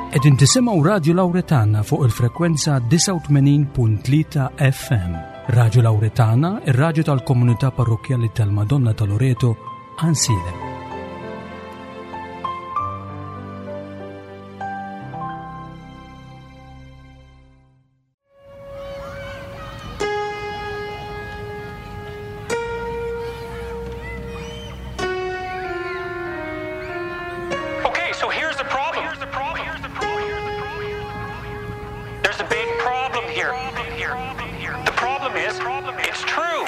Qegħdin tisimgħu Radio Lauretana fuq il-frekwenza 89.3 FM. Radio Lauretana, ir-radju tal-komunità parrokkjali tal-Madonna ta' Loreto, Ansilem. Okay, so here's the problem. Here's the problem. Here's the problem. There's a big problem here. The problem is, it's true.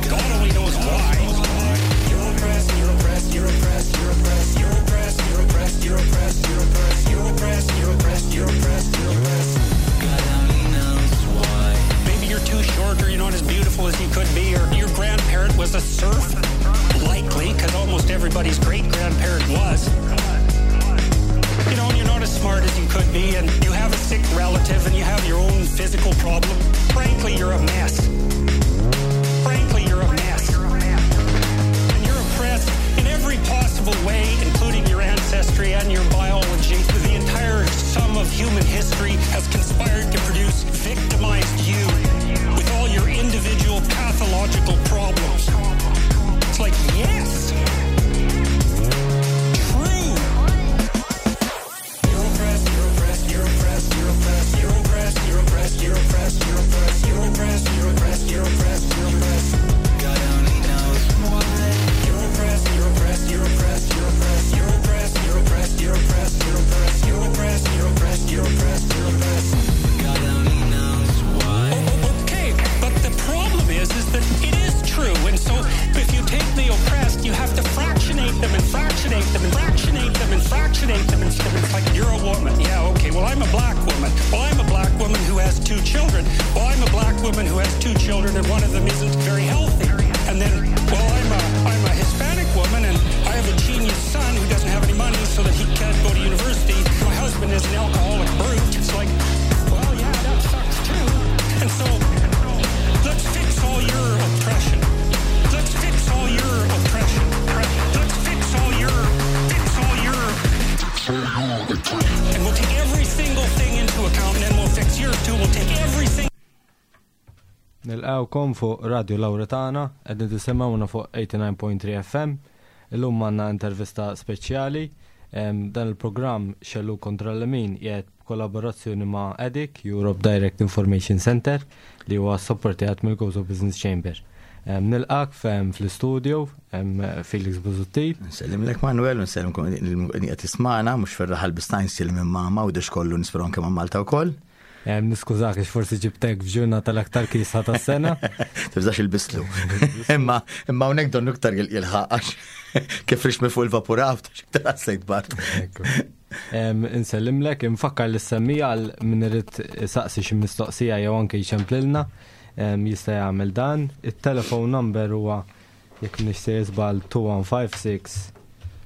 God only knows why. Maybe you're too short or you're not as beautiful as you could be, or your grandparent was a serf. Likely, because almost everybody's great grandparent was. You know, and you're not as smart as you could be, and you have a sick relative, and you have your own physical problem. Frankly, you're a mess. Frankly, you're a mess. And you're oppressed in every possible way, including your ancestry and your biology. The entire sum of human history has conspired to produce victimized you with all your individual pathological problems. It's like, yes! True! Okay, but the problem is, is that it is true, and so if you take the oppressed, you have to fractionate them and fractionate them and fractionate them and fractionate them and stuff. It's like you're a woman, yeah, okay. Well, I'm a black woman. Well, I'm a black woman who has two children. Well, I'm a black woman who has two children, and one of them isn't very healthy. And then, well, I'm a I'm a Hispanic woman, and I have a genius son who doesn't have any money, so that he can't go to university. My husband is an alcoholic brute. It's like, well, yeah, that sucks too. And so, let's fix all your oppression. Let's fix all your oppression. Let's fix all your, fix all your. And we'll take every single thing into account, and then we'll fix yours too. We'll take every single. Nilqawkom fuq Radio Lauretana, qegħdin tisimgħuna fuq 89.3 FM. Illum għandna intervista speċjali. Dan il-programm Xellu kontra l-Lemin qiegħed b'kollaborazzjoni ma' EDIC, Europe Direct Information Center, li huwa supportjat mill-Gozo Business Chamber. Nilqak fl-istudio, Felix Busuttil. Nsellimlek Manuel, nsellimkom li qed tismana, mhux fir-raħal bistajn sillim minn mama u dex kollu nisperaw anke ma' Malta wkoll. Niskużak għax forsi ġibtek f'ġurnata l-aktar kisħa tas-sena. Tibżax il-bislu. Imma imma hawnhekk donnu iktar jilħaq għax kif rix minn fuq il-vapuraw ta' xiktar għassejt bar. Insellimlek, infakkar li semmija għal min irid saqsi xi mistoqsija jew anke jċemplilna jista' jagħmel dan. It-telephone number huwa jekk m'iniex sejjer żball 2156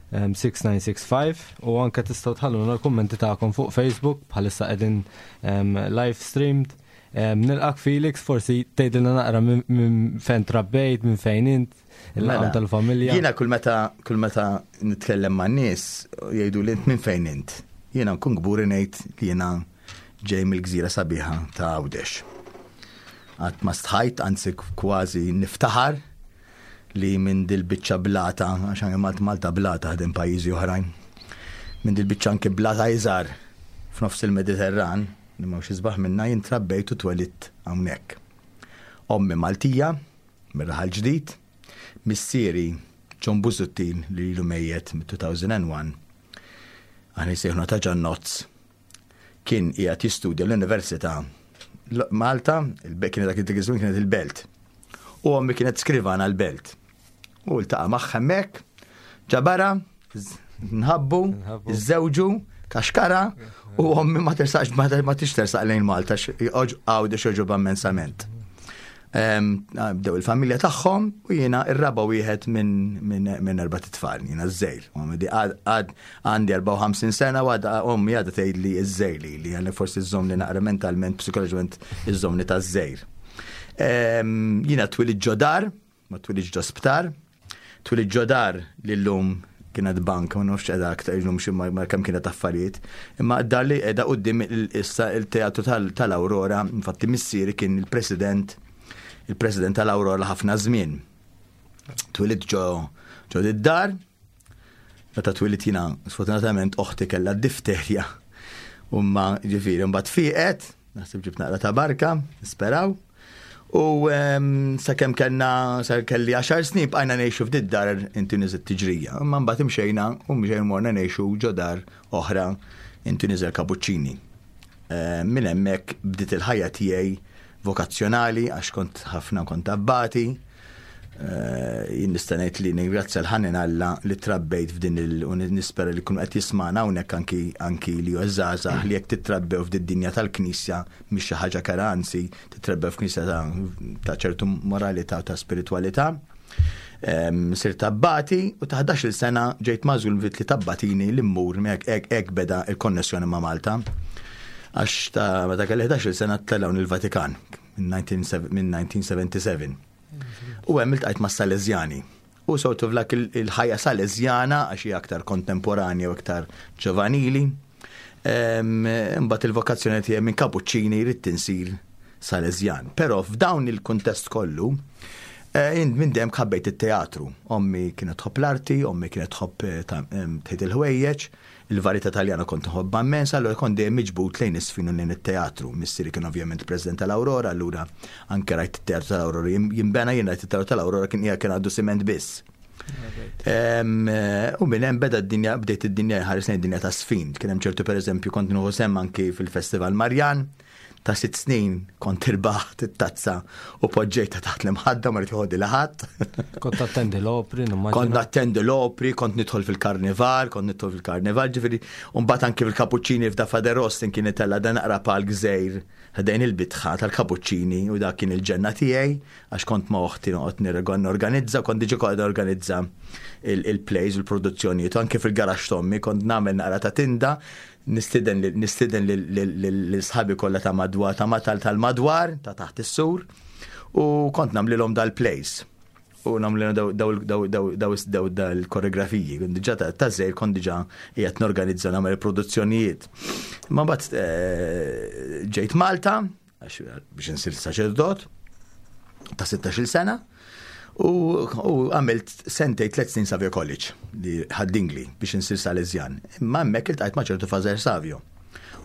6965 u anke tistgħu tħalluna l-kummenti tagħkom fuq Facebook bħalissa qegħdin live streamed. Nilqak Felix, forsi tgħidilna naqra minn fejn trabbejt, minn fejn int, il-laqam Mela, tal-familja. Jiena kull meta kull meta nitkellem ma' nies jgħidu li int minn fejn int. Jiena nkun kburi ngħid li jiena ġej mill-gżira sabiħa ta' Għawdex. Qatt ma stħajt, anzi kważi niftaħar li minn dil-biċċa blata, għax anke Malta Malta blata ħdejn pajjiżi oħrajn, minn dil-biċċa anke blata iżgħar f'nofs il-Mediterran, li m'hawnx isbaħ minnha, jien trabbejt u twelidt hawnhekk. Ommi Maltija, mir-Raħal Ġdid, missieri John Busuttil li ilu mejjet mit-2001, aħna jsejħuna ta' Ġannozz, kien qiegħed jistudja l-Università Malta, kien dak iż-żmien kienet il-Belt. U ommi kienet skrivana l-Belt. U ltaqa' magħha hemmhekk, ġabara, nħabbu, iżżewġu, kaxkara, u ommi ma tersaqx ma tix tersaq lejn Malta Għawdex joġobha immensament. Bdew il-familja tagħhom u jiena ir-raba' wieħed minn erbat itfal, jiena ż-żgħir. Għad għandi 54 sena u għadha ommi għadha tgħidli ż-żgħir li li għalli forsi żżommni naqra mentalment, psikoloġikament iżżommni taż-żgħir. Jiena twilidt ġo dar, ma twilidx ġo sptar, twilidt ġo dar li llum kienet bank, ma nafx qiegħda aktar illum xi ma kemm kienet affarijiet, imma dar li qiegħda quddiem issa il-teatru tal-Aurora, infatti missieri kien il-president il-president tal-Aurora ħafna żmien. Twilidt ġo ġo dar, Meta twilidt jiena, sfortunatament oħti kellha d-difterja. Umma ġifieri mbagħad fieqet, naħseb ġibt naqra ta' barka, nisperaw. U sakemm kellna sa kelli 10 snin bqajna ngħixu f'did dar inti niżel tiġrija. Imma mbagħad imxejna u mxejna morna ngħixu ġo dar oħra inti niżel Kapuċċini. Minn hemmhekk bdiet il-ħajja tiegħi vokazzjonali għax kont ħafna kont abbati. Eh, jien nista' ngħid li ningrazzja l-ħanin Alla li trabbejt f'din il u nispera li kun qed jismana hawnhekk anki anki li hu żgħażagħ li jekk titrabbew f'din dinja tal-Knisja mhix xi ħaġa kera anzi titrabbew f'knisja ta' ċertu moralità u ta' spiritwalità. Sirt abbati u ta' 11-il sena ġejt magħżul li tabbatini li mmur hekk beda il-konnessjoni ma' Malta. Għax ta' meta kelli 11-il sena tlellgħu il-Vatikan minn 1977. U hemm iltqajt ma' Salesjani. U sort of like il-ħajja Salesjana għax hija aktar kontemporanja u aktar ġovanili. Imbagħad il-vokazzjoni tiegħi minn Kapuċċini jrid tinsir Salesjan. Però f'dawn il-kuntest kollu, eh, minn dejjem ħabbejt it-teatru. Ommi kienet tħobb l-arti, ommi kienet tħobb eh, tħejt il-ħwejjeġ, il-varjetà Taljana kont nħobbha immens, allura kont dejjem miġbud lejn is-sfin u lejn it-teatru. Missieri kien ovvjament president tal-Aurora, allura anke rajt it-teatru tal-Aurora jinbena, jien rajt it-teatru tal-Aurora kien kien għaddu siment biss. Eh, u minn hemm beda d-dinja, bdejt id-dinja ħares lejn id-dinja ta' sfin. Kien hemm ċertu pereżempju kont nieħu sehem anki fil-Festival Marjan ta' sitt snin kont irbaħt it-tazza u poġġejta taħt l-imħadda ma rrid joħodli ħadd. Kont attendi l-opri, Kont attendi l-opri, kont nidħol fil-karnival, kont nidħol fil-karnival, ġifieri, u mbagħad anki fil-Kapuċċini f'da Faderos kien itella' dan naqra palk żgħir ħdejn il-bitħa tal-Kapuċċini u dak kien il-ġenna tiegħi għax kont ma' oħti noqgħod norganizza, kont diġà kont organizza il-plays u l-produzzjonijiet, anke fil-garaxx t'ommi kont nagħmel naqra ta' tinda, nistieden nistieden lil sħabi kollha ta' madwar ta' matal tal-madwar ta' taħt is-sur u kont nagħmlilhom dal-plays u nagħmlilhom daw dal-koreografiji. Diġà ta' żejr kont diġà qiegħed norganizza nagħmel produzzjonijiet. Ma mbagħad eh, ġejt Malta, biex insir saċerdot ta' 16 sena u għamilt sentej tlet snin Savio College li ħaddingli biex insir Salesjan. Imma hemmhekk iltqajt ma' ċertu Fazer Savio.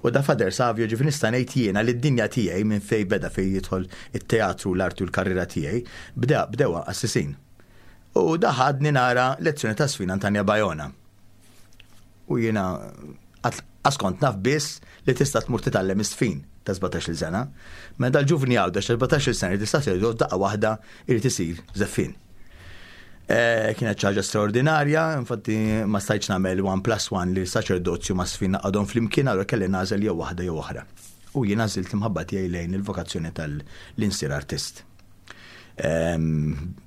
U da Fader Savio ġifi nista' ngħid jiena li d-dinja tiegħi minn fej beda fej jidħol it-teatru l-arti u l-karriera tiegħi bdewa bdewa assisin. U da ħadni nara lezzjoni ta' sfina Antanja Bajona. U jiena qas kont naf biss li tista' tmur titgħallem is-sfin ta' 17-il sena. Mela dal-ġuvni Għawdex ta' 17-il sena jrid saċerdot daqqa waħda jrid isir żeffien. Eh, kienet ċaġa straordinarja, infatti ma stajtx nagħmel 1 plus 1 li saċerdozju ma sfin naqadhom flimkien allura kelli nagħżel jew waħda jew oħra. U jien għażilt l-imħabba tiegħi lejn il-vokazzjoni tal-insir artist.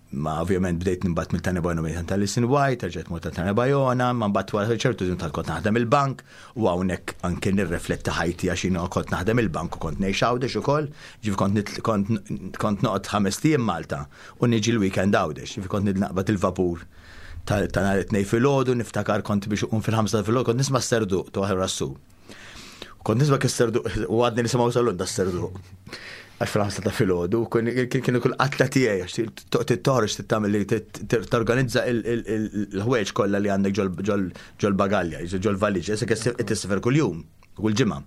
Ma ovvjament bdejt nimbat mill Tanja Bajona minn tal-Listen White, rġajt mort Tanja Bajona, ma mbagħad wara ċertu żmien tal kont naħdem il-bank u hawnhekk anke nirrifletti ħajti għax jiena kont naħdem il-bank u kont ngħix Għawdex ukoll, ġifi kont kont noqgħod ħames ijiem Malta u niġi l-weekend Għawdex, ġifi kont naqbad il-vapur ta' nhar it-tnejn filgħodu, niftakar kont biex uqum fil-ħamsa filgħodu kont nisma' s-serduq ta' rassu. Kont nisma' kisserdu u għadni nisimgħu salun da serdu. Għax fil-ħamsa ta' filgħodu, kienu kull qatla tiegħi għax toħroġ tittamel li torganizza il-ħwejġ kollha li għandek ġol bagalja, ġol valiġ, issa tisifer kuljum, kull ġimgħa.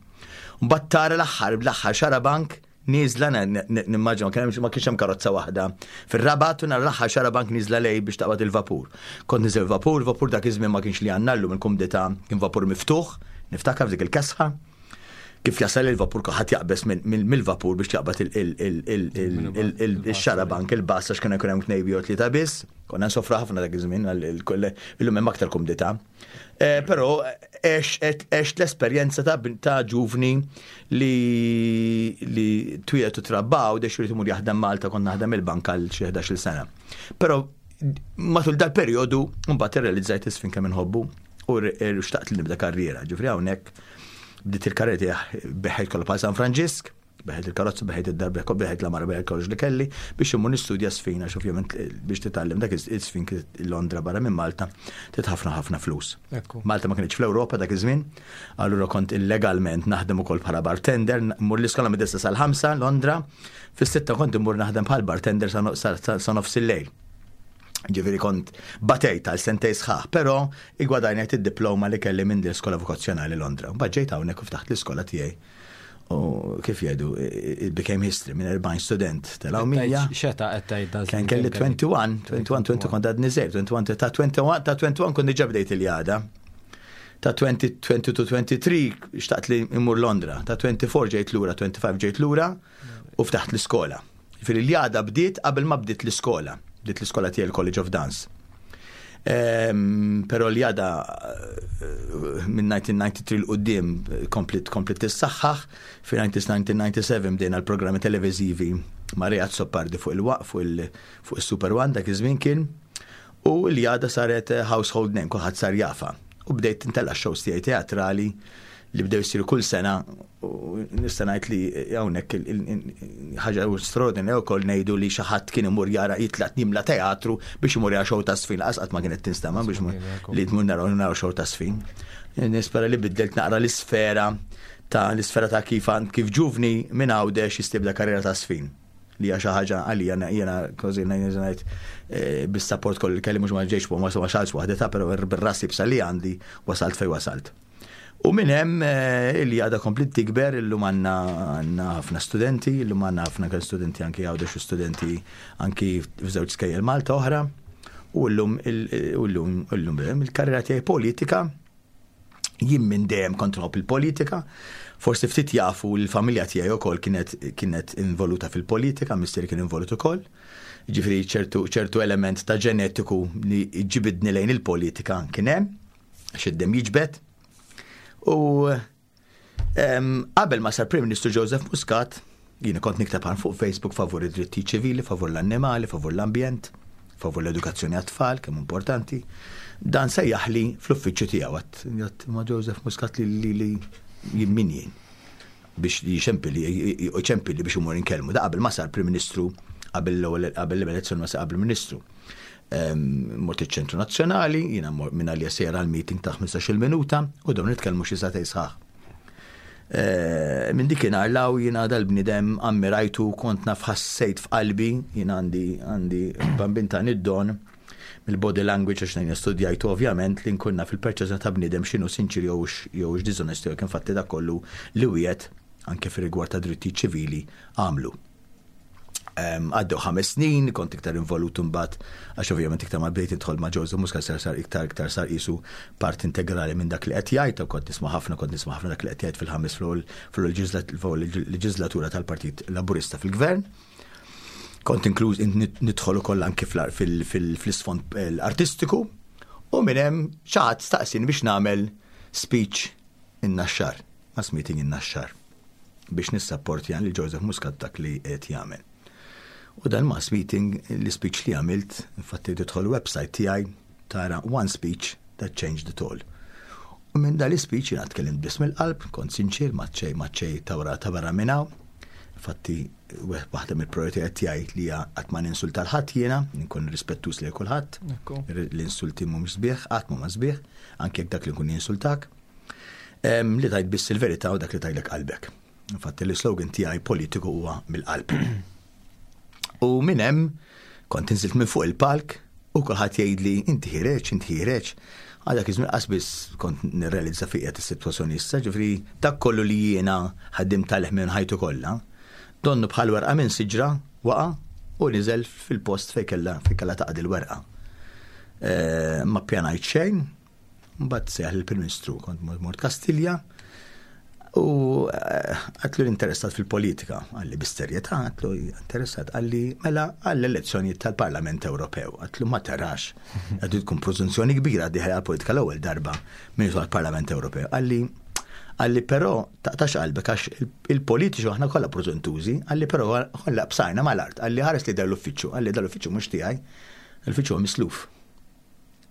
Mbagħad tara l-aħħar bl-aħħar xarabank Nieżla nimmaġina ma kienx hemm karozza waħda. Fir-Rabat u nhar l-aħħar xarabank nieżla lej biex taqbad il-vapur. Kont niżel vapur, vapur dak iż-żmien ma kienx li għandna llum il-kumdità kien vapur miftuħ, niftakar f'dik il-kesħa. Kif jasal il-vapur kulħadd jaqbeż mill-vapur biex jaqbad il-xarabank, il-bus għax kien ikun hemm tnejn jew tlieta biss. Konna nsofru ħafna dak iż-żmien illum hemm aktar kumdità. Eh, però għex l-esperjenza ta' ġuvni li li twiet u trabbaw dex irid imur jaħdem Malta kont naħdem il-bank għal xi 11-il sena. Però matul dal-perjodu mbagħad irrealizzajt isfin kemm inħobbu u xtaqt li nibda karriera. Ġifri hawnhekk bdiet il-karriera tiegħi beħħejt kollha bħal San Franġisk. Bigħt il-karozza, bigħt id-dar, bigħt l-għamara, bigħt kollox li kelli biex immur nistudja żfin għax ovvjament biex titgħallem dak iż-żfin Londra barra minn Malta trid ħafna ħafna flus. Malta ma kienx fl-Ewropa dak iż-żmien, allura kont illegalment naħdem ukoll bħala bartender, mmur l-iskola mid-disa sal-5 Londra, fis-sitta kont immur naħdem bħal bartender sa nofs il-lejl. Ġifieri kont batejt għal sentej sħaħ, però igwadajnajt id-diploma li kelli minn l-iskola vokazzjonali Londra. Mbagħad ġejt hawnhekk u ftaħt l-iskola tiegħi. U kif jgħidu, it became history minn 40 student telgħu 100. Xeta qed tgħid dan? Kien kelli 21, 21, 20 kont għadni żgħir, 21 ta' 21 ta' 21 kont diġà bdejt il-jada. Ta' 20, 22, 23 xtaqt li immur Londra, ta' 24 ġejt lura, 25 ġejt lura u ftaħt l-iskola. Ġifieri l-jada bdiet qabel ma bdiet l-iskola. Bdiet l-iskola tiegħi l-College of Dance. Però l-jada minn 1993 'l quddiem komplet komplet tissaħħaħ. Fi 1997 bdejna l-programmi televiżivi ma' Ray Azzopardi fuq il-waqf fuq il fuq is-Super One dak iż-żmien kien. U l-jada saret household name, kulħadd sar jafha. U bdejt intella' shows tiegħi teatrali li bdew jsiru kull sena u nista' ngħid li hawnhekk ħaġa straordinarja wkoll ngħidu li xi ħadd kien imur jara jitlaq jimla teatru biex imur jara show ta' sfin laqas qatt ma kienet tinstema' biex li tmur naraw naraw show ta' sfin. Nispera li biddelt naqra l-isfera ta' l-isfera ta' kif kif ġuvni minn Għawdex jistibda karriera ta' sfin li hija xi ħaġa għalija jiena kważi ngħid eh, bis-sapport kollu li kelli mhux ma ġejx ma wasalx waħdeta, però bir-ras ibsa li għandi wasalt fejn wasalt. U minn hemm eh, li għadha komplit tikber, illum għandna għandna ħafna studenti, illum għandna ħafna kien studenti anki Għawdex u studenti anki f'żewġ skejjel Malta oħra. U llum u llum illum il-karriera tiegħi politika jien minn dejjem kont nħobb il-politika. Forsi ftit jafu l-familja tiegħi wkoll kienet kienet involuta fil-politika, missieri kien involut ukoll. Ġifieri ċertu ċertu element ta' ġenetiku li ġibidni lejn il-politika kien hemm għax id-demm jiġbed. U qabel ma sar Prim Ministru Joseph Muscat, jiena kont nikteb għan fuq Facebook favur id-dritti ċivili, favur l-annimali, favur l-ambjent, favur l-edukazzjoni għat-tfal, kemm importanti. Dan sejjaħli fl-uffiċċju tiegħu għat ma Joseph Muscat li li jien min jien biex jixempili jċempili biex imur inkellmu. Da qabel ma sar Prim Ministru qabel l-ewwel qabel l-elezzjoni ma sar qabel Ministru. Mort iċ-Ċentru Nazzjonali, jiena minn għalija sejra għal meeting ta' 15-il minuta u dawn nitkellmu xi sagħtejn sħaħ. Eh, minn dik law jiena dal-bniedem ammirajtu kont naf ħassejt f'qalbi, jiena għandi għandi bambin ta' id-don mill-body language għax nejn studjajtu ovvjament li nkun naf il-perċezzjoni ta' bniedem x'inhu sinċir jew jew dishonest jew kien fatti dak kollu li wiegħed anke fir-rigward ta' dritti ċivili għamlu. Għaddew 5 snin, kont iktar involut imbagħad għax ovvjament iktar ma bdejt nidħol ma' Joseph Muscat sar sar iktar iktar sar qisu part integrali minn dak li qed jgħid u kont nisma' ħafna kont nisma' ħafna dak li qed jgħid fil-ħames fil-leġislatura tal-Partit Laburista fil-Gvern. Kont inkluż nidħol ukoll anki fl-isfond artistiku u minn hemm xi ħadd staqsini biex nagħmel speech in-Naxxar, mass meeting in-Naxxar, biex nissapportja lil Joseph Muscat dak li qed jagħmel. U dan mass meeting, l-speech li għamilt, infatti tidħol website tiegħi tara one speech that changed it all. U minn dan l-speech jiena tkellimt biss mill-qalb, kont sinċir, ma ċej ma ċej tawra ta' barra minn hawn. Infatti waħda mill-prioritajiet tiegħi li hija qatt ma ninsulta l-ħadd jiena, nkun rispettuż lejn kulħadd. L-insulti mhumiex sbieħ, qatt m'huma sbieħ, anke jekk dak li nkun jinsultak. Li tajt biss il-verità u dak li tajlek qalbek. Infatti l-slogan tiegħi politiku huwa mill-qalb. U minn hemm kont inżilt minn fuq il-palk u kulħadd jgħidli inti ħireġ, inti ħireġ. Għadak iż-żmien qas biss kont nirrealizza fiqiet is-sitwazzjoni issa, ġifieri dak kollu li jiena ħaddim tal minn ħajtu kollha, donnu bħal werqa minn siġra waqa' u niżel fil-post fejn kellha fejn kellha taqdi l-werqa. Eh, ma ppjanajt xejn, Mbagħad seħ il-Prim Ministru kont mort Kastilja u eh, għatlu l-interessat fil-politika, għalli bis-serjetà, għatlu interessat, għalli mela għall-elezzjoni tal-Parlament Ewropew, għatlu ma tarax, għatlu tkun preżunzjoni kbira diħel għal-politika l-ewwel darba minn għal-Parlament Ewropew, għalli għalli però taqtax qalbek għax il-politiċi aħna kollha preżuntużi, għalli però kollha bsajna mal-art, għalli ħares li dal-uffiċċju, għalli dal-uffiċċju mhux tiegħi, l-uffiċċju misluf.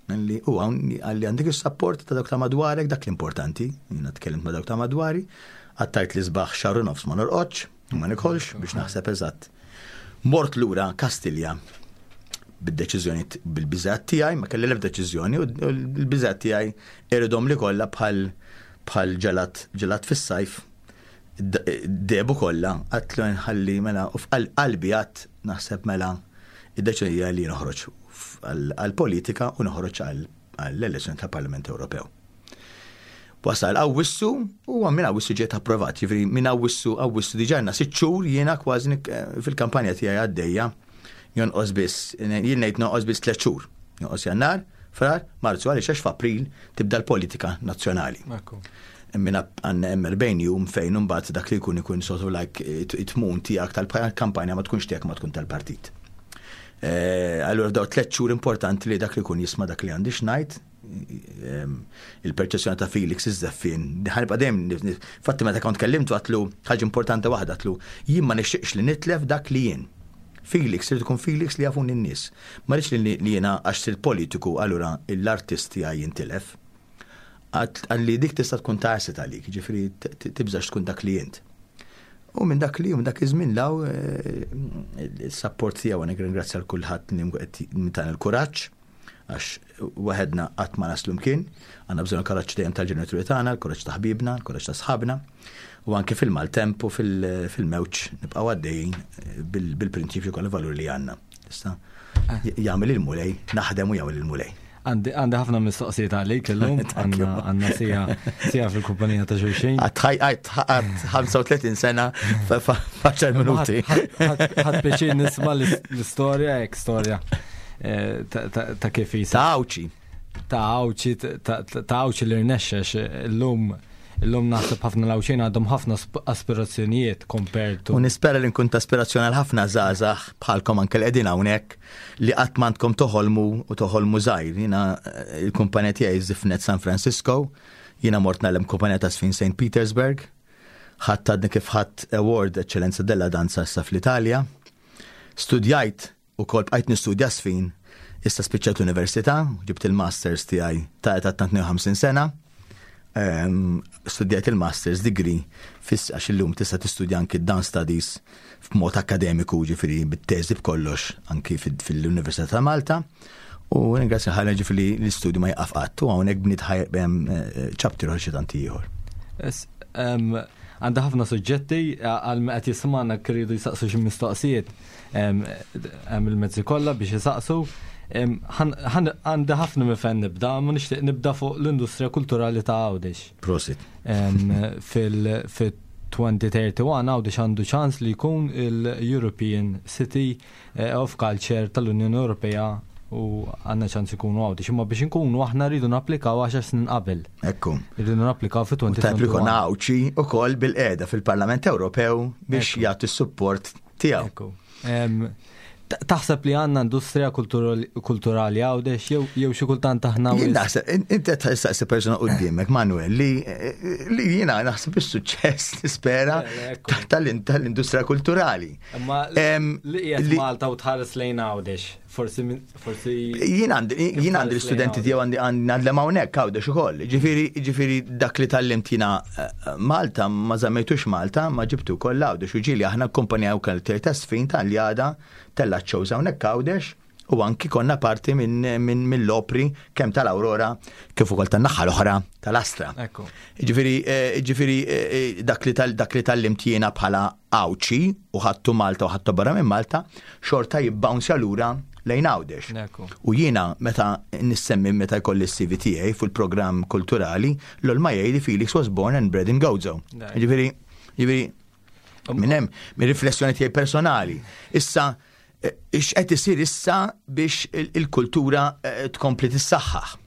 Li u hawn għalli għandek is-sapport ta' dawk ta' madwarek, dak l-importanti, jiena tkellimt ma' dawk ta' madwari, għattajt li sbaħ xahar u nofs ma norqodx. Ma nikolx biex naħseb eżatt. Mort lura Kastilja bid-deċiżjoni bil-biżgħat tiegħi, ma kelli l-ebda deċiżjoni u l-biżgħat tiegħi iridhom li kollha bħal bħal ġelat ġelat fis-sajf debu kollha għatlu nħalli mela u f'qalbi għat naħseb mela id-deċiżjoni li noħroġ għall-politika u noħroġ għall-elezzjoni tal-Parlament Ewropew. Wasal Awwissu u minn Awwissu ġiet approvat, jiġifieri minn Awwissu Awwissu diġà għandna sitt xhur jiena kważi fil-kampanja tiegħi għaddejja jonqos biss, jien ngħid nonqos biss tliet xhur. Jonqos Jannar, Frar, Marzu għaliex għax f'April tibda l-politika nazzjonali. Minn għandna hemm 40 jum fejn imbagħad dak li jkun ikun sort of like it-tmun tiegħek tal-kampanja ma tkunx tiegħek ma tkun tal-partit. Eh, allura daw tliet xhur importanti li dak li jkun jisma' dak li għandi x'ngħid, il-perċezzjoni ta' Felix iż-żeffin. Ħanibqa' dejjem fatti meta kont kellimtu għatlu ħaġa importanti waħda għatlu jien ma nixtieqx li nitlef dak li jien. Felix irid ikun Felix li jafuni n-nies. Ma rridx li jiena għax sirt politiku allura l-artist tiegħi jintilef. Għalli dik tista' tkun ta' asset għalik, ġifieri tibżax tkun dak li jint. U minn dak li minn dak iż-żmien law eh, il-support tiegħu għanek ringrazzja l kulħadd li tan il-kuraġġ għax waħedna qatt ma naslu mkien, għandna bżonn il-kuraġġ dejjem tal-ġenituri tagħna, il-kuraġġ ta' ħbibna, il-kuraġġ ta' sħabna, u anke fil-maltemp u fil-mewġ nibqgħu għaddejjin eh, bil-prinċipju kollha valur li għandna. Issa jagħmel il-mulej, naħdem u jagħmel il-mulej. Għandi ħafna mistoqsijiet għalik illum, għandna sija sija fil-kumpanija ta' xulxin. Għad 35 sena faċar minuti. Ħadd pjaċir nisma' l-istorja, ek storja eh, ta' kif jisa. Ta' Għawċi. Ta' Għawċi, ta' Għawċi li rnexxex illum Illum naħseb ħafna l-Għawdxin għandhom ħafna aspirazzjonijiet compared to. U nispera li nkun ta' aspirazzjoni għal ħafna żgħażagħ bħalkom anke li qegħdin hawnhekk li qatt m'għandkom toħolmu u toħolmu żgħir. Jiena eh, il-kumpanija tiegħi żifnet San Francisco, jiena mort nagħlem kumpanija ta' żfin St. Petersburg, ħadd għadni kif ħadd Award Eccellenza della Danza issa fl-Italja. Studjajt Ukoll bqajt nistudja żfin, issa spiċċajt l-università, ġibt il-masters tiegħi ta' età ta' 52 sena. Ehm, studjajt il-masters degree fis għax illum tista' tistudja anki dance studies f'mod akademiku ġifieri bit-teżi b'kollox anki fil-Università ta' Malta. U ringrazzja ħalla ġifieri l-istudju ma jaqaf qatt u hawnhekk bniet ehm, eh, chapter ieħor xi tant ieħor. Ehm, għandha ħafna suġġetti għal qed jismagħna kridu jisaqsu xi mistoqsijiet. Hemm il-mezzi kollha biex isaqsu. Għandi ħafna minn fejn nibda, ma nixtieq nibda fuq l-industrija kulturali ta' Għawdex. Prosit. Fil-2031 Għawdex għandu ċans li jkun il-European City eh, of Culture tal-Unjoni Ewropea u għandna ċans ikunu Għawdex. Imma biex inkunu aħna rridu napplikaw 10 snin qabel. Ekku. Irridu napplikaw fi 2021. Tajb li Għawdxi ukoll bil-qeda fil-Parlament Ewropew biex jagħti s-support tiegħu. Taħseb li għandna industrija kulturali għawdex jew xi kultant aħna. Jien naħseb, inti qed tistaqsi persuna quddiemek, Manuel, li li jiena naħseb is-suċċess nispera tal-industrija kulturali. Imma li qiegħed Malta u tħares lejn Għawdex. Forsi, forsi. Jien għandi, jien għandi l-istudenti tiegħu għandi għandlem hawnhekk għawdex ukoll. Ġifieri, ġifieri dak li tallimt jiena eh, Malta ma żammejtux Malta, ma ġibtu wkoll għawdex u ġieli aħna kumpanija wkoll ta' sfin tal-jada tella shows hawnhekk għawdex u anki konna parti minn min, mill-opri kemm tal-Aurora kif ukoll tan-naħa l-oħra tal-Astra. Ġifieri, eh, ġifieri eh, dak li dak li tallimt jiena bħala Għawdxi u ħadtu Malta u ħadtu barra minn Malta, xorta jibbawnsja lura lejn Għawdex. U jiena meta nissemmi meta jkolli s-CV tiegħi fil-programm kulturali, l ma jgħid Felix was born and bred in Gozo. Ġifieri, ġifieri, minn hemm, minn riflessjoni tiegħi personali. Issa, eh, x'qed isir issa biex il-kultura eh, tkompli tissaħħaħ.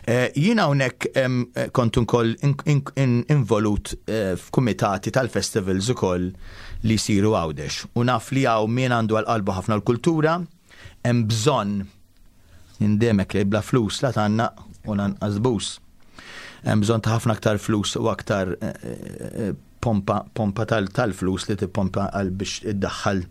Eh, jiena hawnhekk kont ukoll involut f'kumitati tal-festivals ukoll li jsiru Għawdex. U naf li hawn min għandu għal qalbu ħafna l-kultura, hemm bżonn indemek li bla flus la tanna u lanqas bus. Hemm bżonn ta' ħafna aktar flus u aktar pompa, pompa tal-flus li tippompa għal biex iddaħħal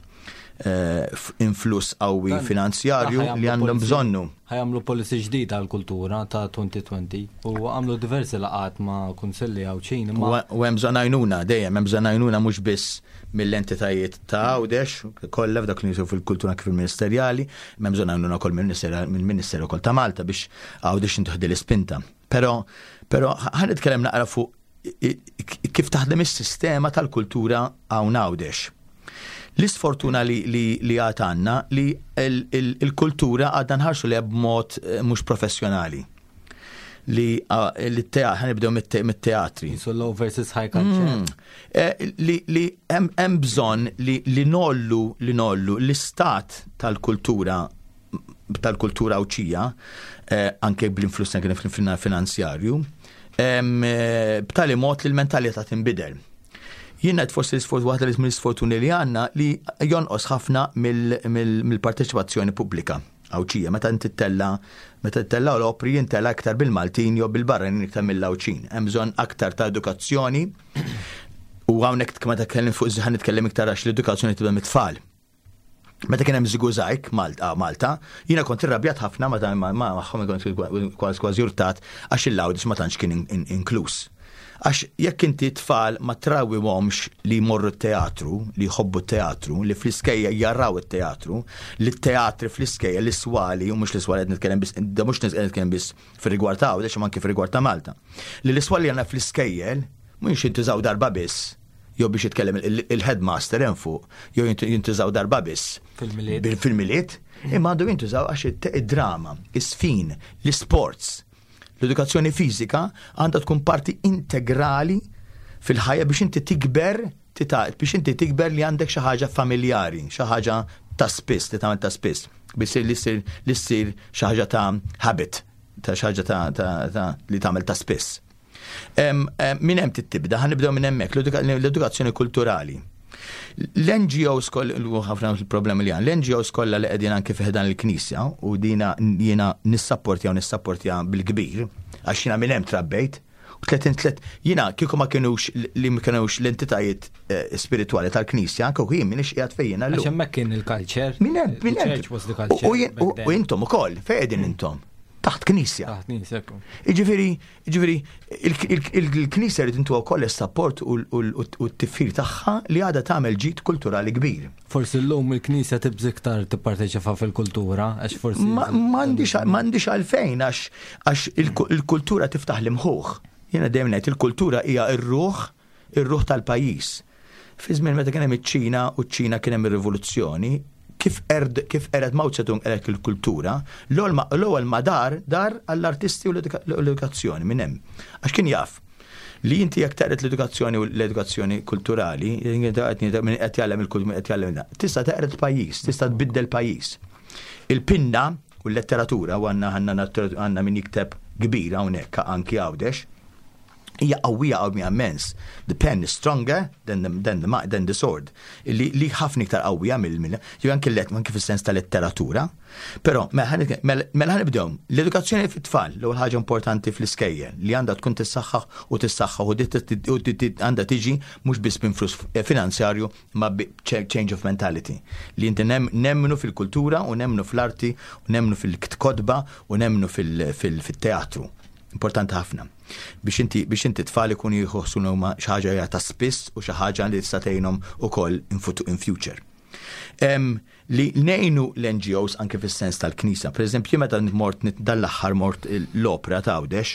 influss qawwi finanzjarju li għandhom bżonnu. Ħa jagħmlu policy ġdida għall-kultura ta' 2020 u għamlu diversi laqgħat ma' kunsilli Għawdxin imma. U hemm bżonn għajnuna, dejjem hemm bżonn għajnuna mhux biss mill-entitajiet ta' Għawdex kollha f'dak li nisu fil-kultura kif il-ministerjali, hemm bżonn għajnuna wkoll mill-Ministeru wkoll ta' Malta biex Għawdex intieħdi l-ispinta. Però però ħa nitkellem naqra fuq kif taħdem is-sistema tal-kultura hawn Għawdex. L-isfortuna li, li, li għad għandna li il-kultura għadna nħarsu li b'mod eh, mhux professjonali. Li t-teatri, ħanibdew mit-teatri. So low versus high culture. Eh, li li hemm bżonn li li nollu li nollu l-istat tal-kultura tal-kultura Għawdxija, eh, anke bl-influss anke finanzjarju, eh, b'tali mod li l-mentalità tinbidel. Jien qed forsi l-isfort waħda li mill-isfortuni li għandna li jonqos ħafna mill-parteċipazzjoni pubblika Għawdxija. Meta inti ttella' meta ttella' l-opri jintela' iktar bil-Maltin jew bil-barranin iktar mill-Għawdxin. Hemm bżonn aktar ta' edukazzjoni u hawnhekk meta tkellem fuq ħa nitkellem iktar għax l-edukazzjoni tibda mit-tfal. Meta kien hemm Żigużajg Malta, Malta, jiena kont irrabjat ħafna ma magħhom kont kważi kważi urtat għax il-Għawdex ma tantx kien inkluż. Għax jekk inti tfal ma trawwimhomx li jmorru t-teatru, li jħobbu t-teatru, li fl-iskejjel jaraw it-teatru, li t-teatri fl-iskejjel, l-iswali, u mhux l-iswali qed nitkellem biss, mhux nitkellem biss fir-rigward ta' Għawdex imma anke fir-rigward ta' Malta. Li l-iswali għandna fl-iskejjel mhux jintużaw darba biss jew biex jitkellem il-headmaster hemm fuq, jew jintużaw darba biss. Fil-Milied. Fil-Milied, imma għandu jintużaw għax id-drama, is-sfin, l-isports, l-edukazzjoni fiżika għandha tkun parti integrali fil-ħajja biex inti tikber biex inti tikber li għandek xi ħaġa familjari, xi ħaġa ta' spiss, li tagħmel ta' spiss, biex li ssir li ssir xi ħaġa ta' habit, ta' xi ħaġa ta' li tagħmel ta' spiss. Minn hemm tibda, ħa nibdew minn hemmhekk, l-edukazzjoni kulturali. L-NGOs koll, ħafna problemi li għan, l-NGOs kollha li qegħdin anke fi ħdan il-Knisja u dina jiena nissapportja u nissapportja bil-kbir, għax jiena minn hemm trabbejt, u 30 tlet, jiena kieku ma kienux li ma kienux l-entitajiet eh, spiritwali tal-Knisja, kieku jien minix qiegħed fejn jiena llum. Għax hemmhekk kien il-culture. Minn hemm, minn hemm. U intom ukoll, fejn qegħdin intom? Taħt Knisja. Taħt Knisja. Jiġifieri, jiġifieri il-Knisja rrid intuha wkoll is-sapport u t-tifħir tagħha li għadha tagħmel ġid kulturali kbir. Forsi llum il-Knisja tibża' iktar tipparteċipa fil-kultura għax forsi. M'għandix għalfejn għax il-kultura tiftaħ l-imħuħ. Jiena dejjem ngħid il-kultura hija r-ruħ ir-ruħ tal-pajjiż. Fi żmien meta kien hemm iċ-Ċina u ċ-Ċina kien hemm ir-rivoluzzjoni, kif erd kif qered Mao Zedong qered il-kultura, l-ewwel ma dar dar għall-artisti u l-edukazzjoni minn hemm. Għax kien jaf li inti jekk teqred l-edukazzjoni u l-edukazzjoni kulturali, min qed jgħallem il-kultura, qed jgħallem tista' teqred pajjiż, tista' tbiddel pajjiż. Il-pinna u l-letteratura u għandna għandna min jikteb kbir hawnhekk anki Għawdex, hija qawwija qawwija immens. The pen is stronger than the, than the, than the sword. Li, li ħafna iktar qawwija mill mill jew anke let anke fis-sens ta' letteratura. Però mela mela, mela ħanibdew l-edukazzjoni fit-tfal l-ewwel ħaġa importanti fl-iskejjel li għandha tkun tissaħħaħ u tissaħħaħ u għandha tiġi mhux biss minn flus finanzjarju ma change of mentality. Li inti nemmnu fil-kultura u nemmnu fl-arti u nemmnu fil-kotba u nemmnu fil-teatru. Importanti ħafna. Biex inti biex inti tfal ikunu jħossu li huma xi ħaġa hija ta' spiss u xi ħaġa li tista' tgħinhom ukoll in future. Um, li nejnu l-NGOs anke fis-sens tal-Knisja. Per eżempju, meta mort dal-aħħar mort l-opra ta' Għawdex,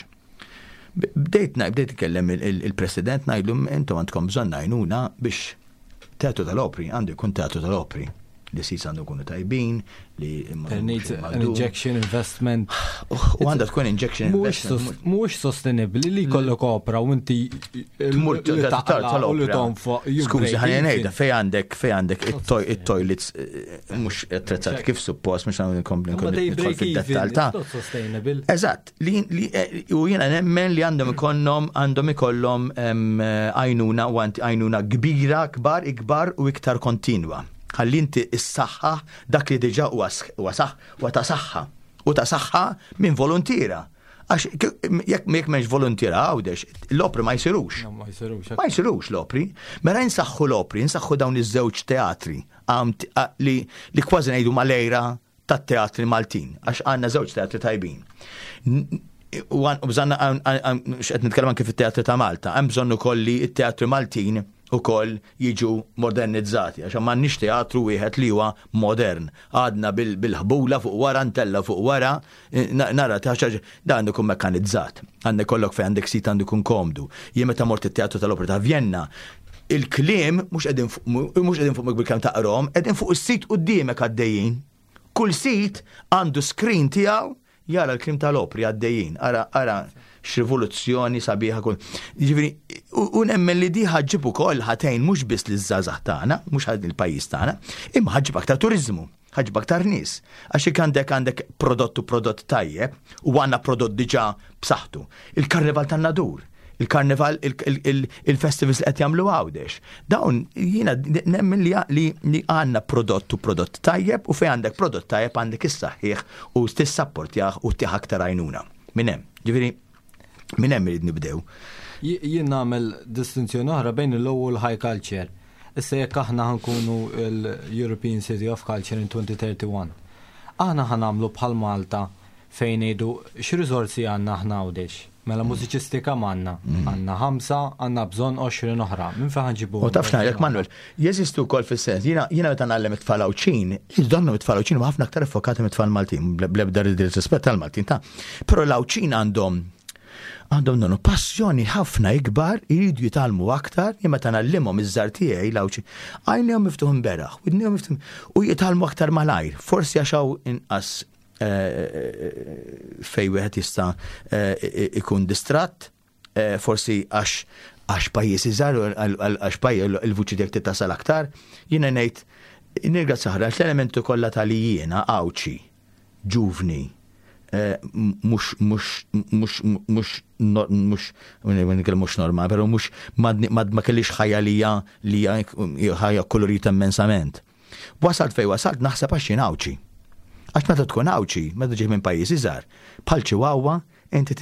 bdejt bdejt ikellem il-President ngħidlu intom għandkom bżonn għajnuna biex teatru tal-opri għandu jkun teatru tal-opri li sis għandu jkunu tajbin, li There needs an injection investment. U għandha tkun injection investment. Mhux sostenibbli li jkollok opra u inti tmur tal-opra. tonfoq. Skużi, ħalli ngħidha fej għandek fej għandek it-toilets eh, mhux attrezzati kif suppost mhux għandu nkompli nidħol fid-dettall ta' Eżatt, li eh, u jiena nemmen li għandhom ikollhom għandhom ikollhom għajnuna u għajnuna kbira, kbar, ikbar u iktar kontinwa. Ħalli inti s-saħħa dak li diġà huwa saħ huwa ta' saħħa u ta' saħħa minn volontiera. Għax jekk m'hemmx voluntiera Għawdex, l-opri ma jsirux. Ma jsirux. Ma jsirux l-opri. Mela insaħħu l-opri, insaħħu dawn iż-żewġ teatri li, li kważi ngħidu mal-ejra tat-teatri Maltin, għax għandna żewġ teatri tajbin. U bżanna x'qed nitkellem anke fit-teatri ta' Malta, hemm bżonn ukoll li t-teatri Maltin ukoll jiġu modernizzati, għax m'għandniex teatru wieħed li huwa modern. Għadna bil-ħbula fuq wara, ntella fuq wara, nara taħxaġ, da għandu jkun mekkanizzat. Għandek kollok fejn għandek sit għandu jkun komdu. Jien meta mort it-teatru tal-Opera ta' Vienna, il-kliem mhux qegħdin fuq bil-kemm taqrom, qegħdin fuq is-sit quddiemek għaddejjin. Kull sit għandu screen tiegħu jara l-kliem tal-opri għaddejjin. Ara, ara x'rivoluzzjoni sabiħa kull. Jiġifieri, u nemmen li di ħaġġib ukoll ħatejn mhux biss liż-żgħażagħ tagħna, mhux il-pajjiż tagħna, imma ħaġġib aktar turiżmu, ħaġġib aktar nies. Għax jekk għandek għandek prodott u prodott tajjeb, u għandna prodott diġà b'saħħtu. Il-Karnival tan-Nadur, il-karnival, il-festivals li qed jagħmlu Għawdex. Dawn jiena nemmen li li għandna prodott u prodott tajjeb u fejn għandek prodott tajjeb għandek issaħħih u tissapportjah u ttih aktar għajnuna. Minn hemm. Ġifieri minn hemm irid nibdew. Jien nagħmel distinzjoni oħra bejn il-low u l-high culture. Issa jekk aħna ħankunu l-European City of Culture in 2031, aħna ħa nagħmlu bħal Malta fejn ngħidu x'riżorsi għandna aħna Għawdex? Mela mużiċisti kemm għandna? Għandna ħamsa, għandna bżonn 20 oħra. Minn fejn ħa nġibuhom? U taf x'ngħidlek Manuel, jeżistu wkoll fis-sens, jiena jiena meta ngħallem it-tfal Għawdxin, donnu it-tfal Għawdxin huma ħafna aktar iffokati mit-tfal Maltin, bl-ebda rispett tal-Maltin ta'. Però l-Għawdxin għandhom għandhom donnu passjoni ħafna ikbar, iridu jitgħallmu aktar, jien meta ngħallimhom iż-żgħar tiegħi l-Għawdxin, għajnejhom miftuħin beraħ, widnejhom miftuħin u jitgħallmu aktar malajr, forsi għax hawn inqas fej wieħed jista' ikun distratt, forsi għax għax pajjiż iżgħar għax pajjiż il-vuċi tiegħek titasal aktar, jiena ngħid nirgrazzja ħafna għax l-elementi kollha ta' li jiena Għawdxi, ġuvni, mhux mhux mhux mhux mhux mhux normal, però mhux ma kellix ħajja li hija li hija ħajja kolorita immensament. Wasalt fejn wasalt naħseb għax jien Għawdxi. Għax meta tkun Għawdxi, meta ġej minn pajjiż iżgħar, bħal Chihuahua, inti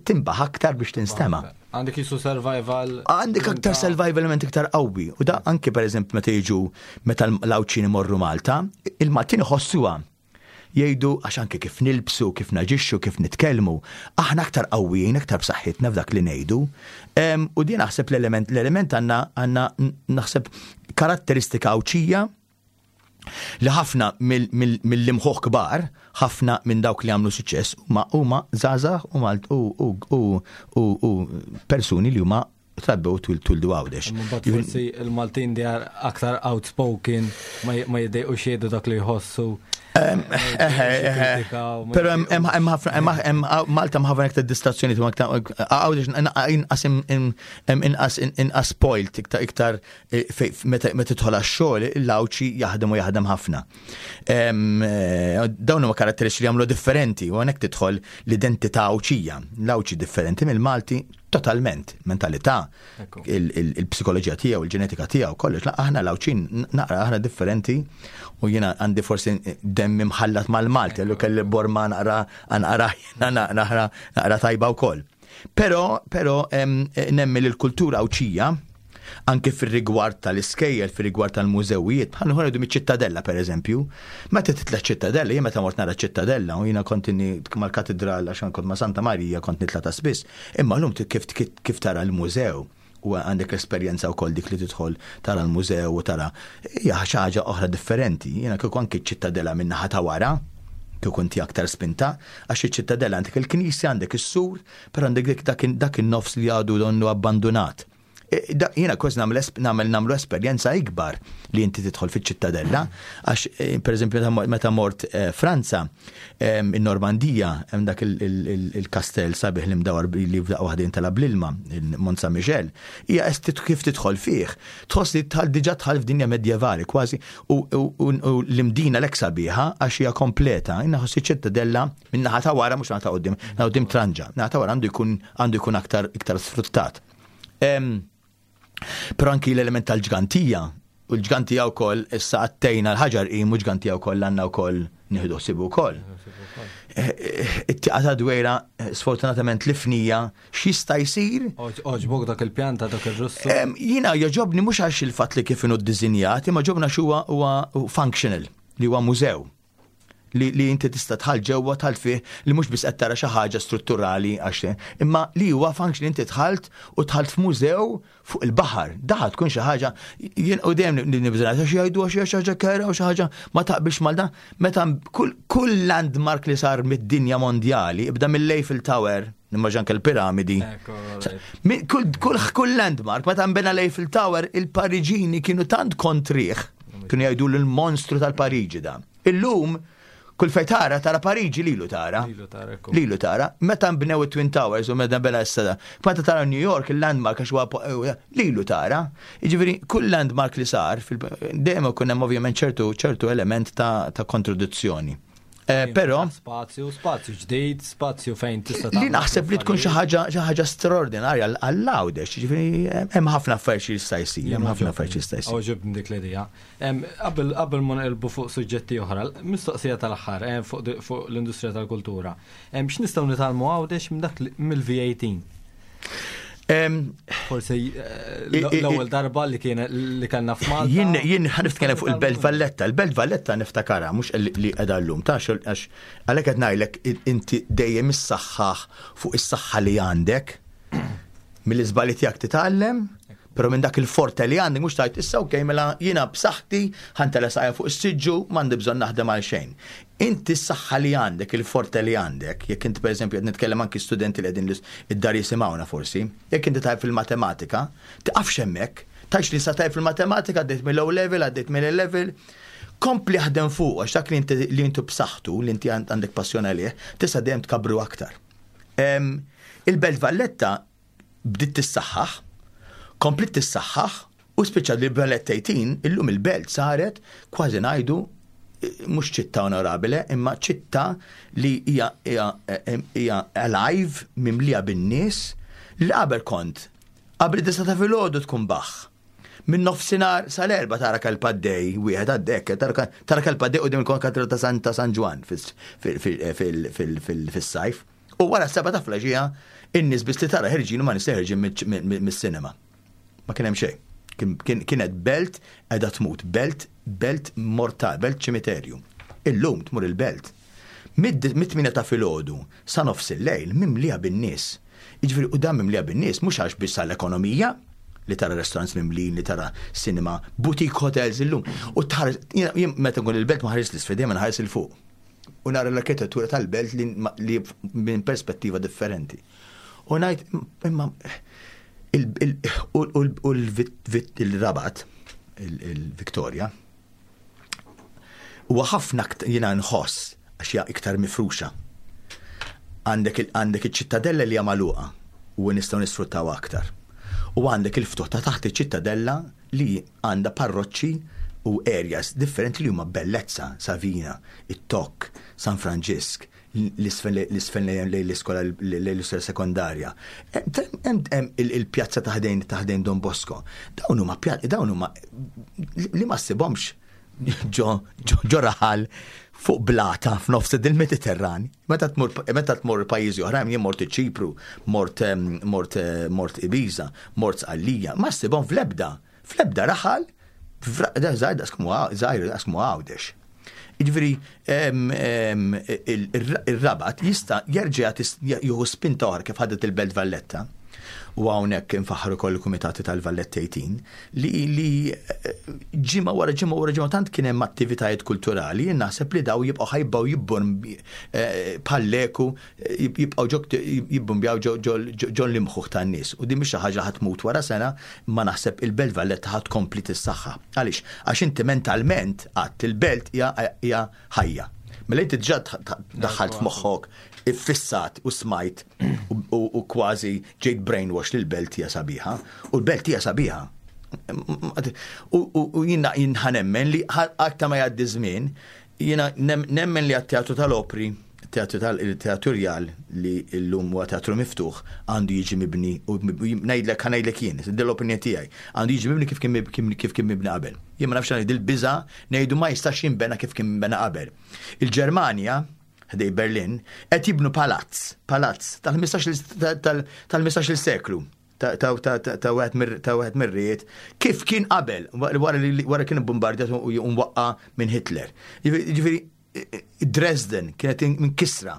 tinbaħ aktar biex tinstema'. Għandek jisu survival. Għandek aktar survival element iktar qawwi. U da anki pereżempju meta jiġu meta l-Għawdxin imorru Malta, il-Maltin iħossuha. Jgħidu għax anke kif nilbsu, kif naġixxu, kif nitkellmu, aħna aktar qawwijin, aktar b'saħħitna f'dak li ngħidu. U din naħseb l-element, l-element għandna għandna naħseb karatteristika Għawdxija li ħafna mill-imħuħ kbar, ħafna minn dawk li għamlu suċċess huma huma żgħażagħ u u u persuni li huma trabbew twildu Għawdex. Mbagħad forsi il-Maltin they are aktar outspoken, ma jiddejqux jgħidu dak li jħossu. Pero hemm ħafna Malta hemm ħafna iktar distrazzjoni Għawdex inqas inqas inqas spoilt iktar iktar eh, meta tidħol għax-xogħol il-Għawdxi jaħdem u jaħdem ħafna. Eh, dawn huma karatteristiċi li jagħmlu differenti u hawnhekk tidħol l-identità Għawdxija. L-Għawdxi differenti mill-Malti totalment, mentalità, il-psikoloġija tiegħu, il-ġenetika tiegħu, kollox. Aħna l-Għawdxin naqra aħna differenti u jiena għandi forsi demmi mħallat mal-Malti, allu kelli borma naqra naqra naqra naqra tajba wkoll. Però però nemmi li l-kultura Għawdxija anke fir-rigward tal-iskejjel, fir-rigward tal-mużewijiet, bħal nħorġu miċ-Ċittadella pereżempju. Meta titla' ċ-Ċittadella, jien meta mort nara ċ-Ċittadella u jiena kont inni mal-katidral għax kont ma' Santa Marija kont nitla' ta' spiss, imma llum kif kif tara l-mużew u għandek l-esperjenza wkoll dik li tidħol tara l-mużew u tara hija xi ħaġa oħra differenti. Jiena kieku anke ċ-Ċittadella min-naħa ta' wara, kieku inti aktar spinta, għax iċ-Ċittadella għandek il-knisja, għandek is-sur, però għandek dak in-nofs li għadu donnu abbandunat. E, jiena kważi nagħmel nagħmlu esperjenza ikbar li inti tidħol fiċ-ċittadella, għax e, pereżempju meta mort e, Franza, in-Normandija, hemm dak il-kastell sabiħ li mdawar li f'daqqa waħda jintalab l-ilma, il-Mont Saint Michel, hija kif tidħol fih, tħoss li tħal diġà tħal f'dinja medjevali kważi u l-imdina l sabiħa għax hija kompleta, jiena ħoss iċ-ċittadella minn naħa ta' wara mhux naħa ta' quddiem, naħa quddiem tranġa, naħa ta' wara għandu jkun għandu jkun aktar iktar sfruttat. Però anki l-element tal-ġgantija, u l-ġgantija wkoll issa għattejna l-ħaġar qim u ġgantija wkoll għandna wkoll nieħdu ħsibu wkoll. Eh, eh, it-tieqa ta' dwejra eh, sfortunatament l-ifnija x'jista' jsir. Oġbok dak il-pjan ta' dak ir-Russu. Jiena joġobni mhux għax il-fatt li kif inhu ddisinjat, imma ġobna x'huwa huwa functional li huwa mużew. Li, li inti tista' tħall ġewwa tħall fih li mhux biss qed tara xi ħaġa strutturali għax imma li huwa function inti tħalt u tħalt f'mużew fuq il-baħar. Daħ tkun xi ħaġa jien u dejjem nibża' għax jgħidu għax xi ħaġa kera u xi ħaġa ma taqbilx mal dan. Meta kull, kull landmark li sar mid-dinja mondjali, ibda mill-Eiffel Tower, nimmaġan anke l-piramidi. Kull, kull, kull landmark, meta nbena l-Eiffel Tower, il-Pariġini kienu tant kontrih, kienu jgħidu l-monstru tal-Pariġi da. Illum, kull fej tara, tara Pariġi lilu tara. Lilu tara. Meta nbnew it-Twin Towers u meta bena s-sada. Meta tara New York, il-landmark għax huwa lilu tara. Jiġifieri kull landmark li sar, dejjem ikun hemm ovvjament ċertu ċertu element ta' kontradizzjoni. Eh, però spazju, spazju ġdid, spazju fejn tista' Li naħseb li tkun xi ħaġa xi ħaġa straordinarja għall-Għawdex, jiġifieri hemm ħafna affarijiet jista' jsir, hemm ħafna affarijiet jista' jsir. Għoġibni dik l-idea. Qabel ma nqilbu fuq suġġetti oħra, mistoqsija tal-aħħar eh, fuq l-industrija tal-kultura. X'nistgħu nitgħallmu Għawdex minn dak mill-V18? Forsi eh, l-ewwel darba li kien li kellna f'Malta. Jien jien ħanitkellem fuq il-Belt Valletta. Il-Belt Valletta niftakara mhux li qiegħda llum ta' għax għalhekk qed ngħidlek inti dejjem issaħħaħ fuq is-saħħa li għandek mill-iżbalji tiegħek titgħallem Però minn dak il-forte li għandek mhux tgħid issa okej mela jiena b'saħħti ħa ntella' saqajja fuq is-siġġu m'għandi bżonn naħdem għal xejn. Inti s-saħħa li għandek, il-forte li għandek, jekk inti pereżempju qed nitkellem anki studenti li qegħdin id-dar jisimgħuna forsi, jekk inti tajjeb fil-matematika, tiqafx hemmhekk, tgħidx li issa tajjeb fil-matematika għaddejt mill-O level, għaddejt mill-A level, kompli aħdem fuq għax dak li inti li inti b'saħħtu, li inti għandek passjoni għalih, tista' dejjem tkabbru aktar. Il-Belt Valletta bdiet tissaħħaħ, kompliet tissaħħaħ u spiċċat li Valletta 18 illum il-belt saret kważi ngħidu eh, mhux ċittà onorabile imma ċittà li hija hija alive mimlija bin-nies li qabel kont qabel id-disa ta' filgħodu tkun baħħ. Minn nofsinhar sal-erba tara kelb għaddej, wieħed għaddej, tara kelb għaddej quddiem il-konkatedra ta' San ta' San Ġwann fis-sajf. U wara s-seba ta' flaxija, in-nies biss li tara ħerġin huma nies li ħerġin mis-sinema. Ma kien hemm xejn. Kienet belt qiegħda tmut, belt belt mortal, belt ċimiterju. Illum tmur il-belt. Mit-tmiena ta' filgħodu sa nofs il-lejl mimlija bin-nies. Jiġifieri u dan mimlija bin-nies mhux għax biss għall-ekonomija, li tara restaurants mimlijin, li tara cinema, boutique hotels illum. U tħares, jien meta nkun il-belt ma ħares l-isfel, dejjem nħares 'il fuq. U nara l-arkitettura tal-belt li, li minn perspettiva differenti. U ngħid imma u l-Rabat, il-Victoria, huwa ħafna jiena nħoss għax hija iktar mifruxa. Għandek għandek iċ-ċittadella li hija magħluqa u nistgħu nisfruttaw aktar. U għandek il-ftuħ ta' taħt iċ-ċittadella li għandha parroċċi u areas differenti li huma bellezza, Savina, it-Tokk, San Franġisk, l-isfel lejn l-iskola lejn l-iskola sekondarja. Hemm il-pjazza ta' ħdejn ta' ħdejn Don Bosco. Dawn huma dawn huma li ma ssibhomx ġo ġo raħal fuq blata f'nofs il-Mediterran. Meta tmur meta tmur pajjiżi oħrajn, jien mort iċ-Ċipru, mort mort mort Ibiza, mort Sqallija, ma ssibhom fl-ebda fl-ebda raħal żgħir daqs żgħir daqs Għawdex. Jiġifieri ir-Rabat jista' jerġa' jieħu spinta oħra kif ħadet il-Belt Valletta. U hawnhekk infaħħar ukoll il-kumitati tal-Valletta 18 li li ġimgħa wara ġimgħa wara ġimgħa tant kien hemm attivitajiet kulturali, jien naħseb li daw jibqgħu ħajbgħu jibbon bħal-leku jibqgħu ġo jibbumbjaw ġo l-imħuħ tan-nies. U din mhix xi ħaġa ħa tmut wara sena, imma naħseb il-Belt Valletta ħa tkompli tissaħħa. Għaliex? Għax inti mentalment għadt il-belt hija ħajja. Mela inti diġà daħħalt f'moħħok, iffissat u smajt u kważi ġejt brainwash li l-belt hija sabiħa. U l-belt hija sabiħa. U jiena nemmen li aktar ma jgħaddi żmien, jiena nemmen li għat-teatru tal-opri. Teatru Rjal li llum huwa teatru miftuħ għandu jiġi mibni u ngħidlek ħa ngħidlek jien, din l-opinjoni tiegħi, għandu jiġi mibni kif kien kif kien mibni qabel. Jien ma nafx għaliex dil-biża' ngħidu ma jistax jinbena kif kien minbena qabel. Il-Ġermanja, ħdej Berlin, qed jibnu palazz, palazz tal-15-il seklu ta' wieħed mir-rijiet kif kien qabel wara li wara kien bombardjat u mwaqqa minn Hitler. Ġifieri Dresden kienet mkissra.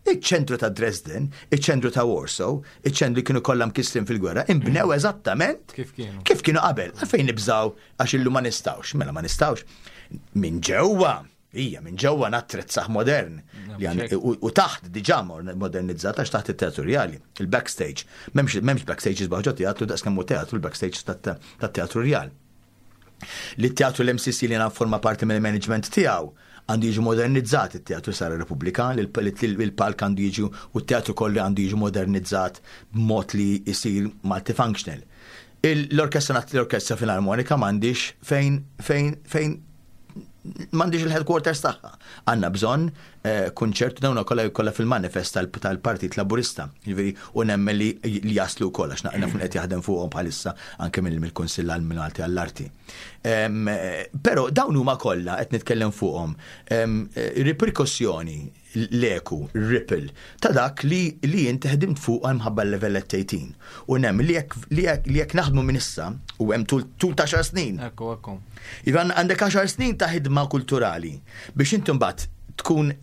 Iċ-ċentru ta' Dresden, iċ-ċentru ta' Warsaw, iċ-ċentru li kienu kollha mkissrin fil-gwerra, inbnew eżattament kif kienu. Kif kienu qabel. Għalfejn nibżaw għax illum ma nistgħux. Mela ma nistgħux. Minn ġewwa, hija minn ġewwa nattrezzaħ modern u taħt diġà modernizzat għax taħt it-teatru rjali, il-backstage. M'hemmx backstage isbaħ ġo teatru daqs kemm hu teatru l-backstage tat-teatru rjal. Li t-teatru l-MCC li forma parti mill-management tiegħu għandu jiġi modernizzat it-teatru Sara Repubblika, il-palk għandu jiġi u t-teatru kollu għandu jiġi modernizzat b'mod li jisir multifunctional. L-orkestra l-orkestra filarmonika m'għandix fejn fejn fejn m'għandix il-headquarters tagħha. Għandna bżonn eh, kunċert dawn kollha kollha fil-manifest tal-Partit Laburista. Jiġifieri u nemmen li jaslu wkoll għax naf qed jaħdem fuqhom bħalissa anke mill-Kunsill għall-Malti għall-Arti. Eh, però dawn huma kollha qed nitkellem fuqhom eh, riperkussjoni l-eku, ripple, ta' dak li li inti ħdimt fuq għal mħabba l-level 18. U nem li jekk naħdmu minn issa u hemm tul ta' 10 snin. Ekku, ekku. Ivan għandek 10 snin ta' ħidma kulturali biex inti mbagħad tkun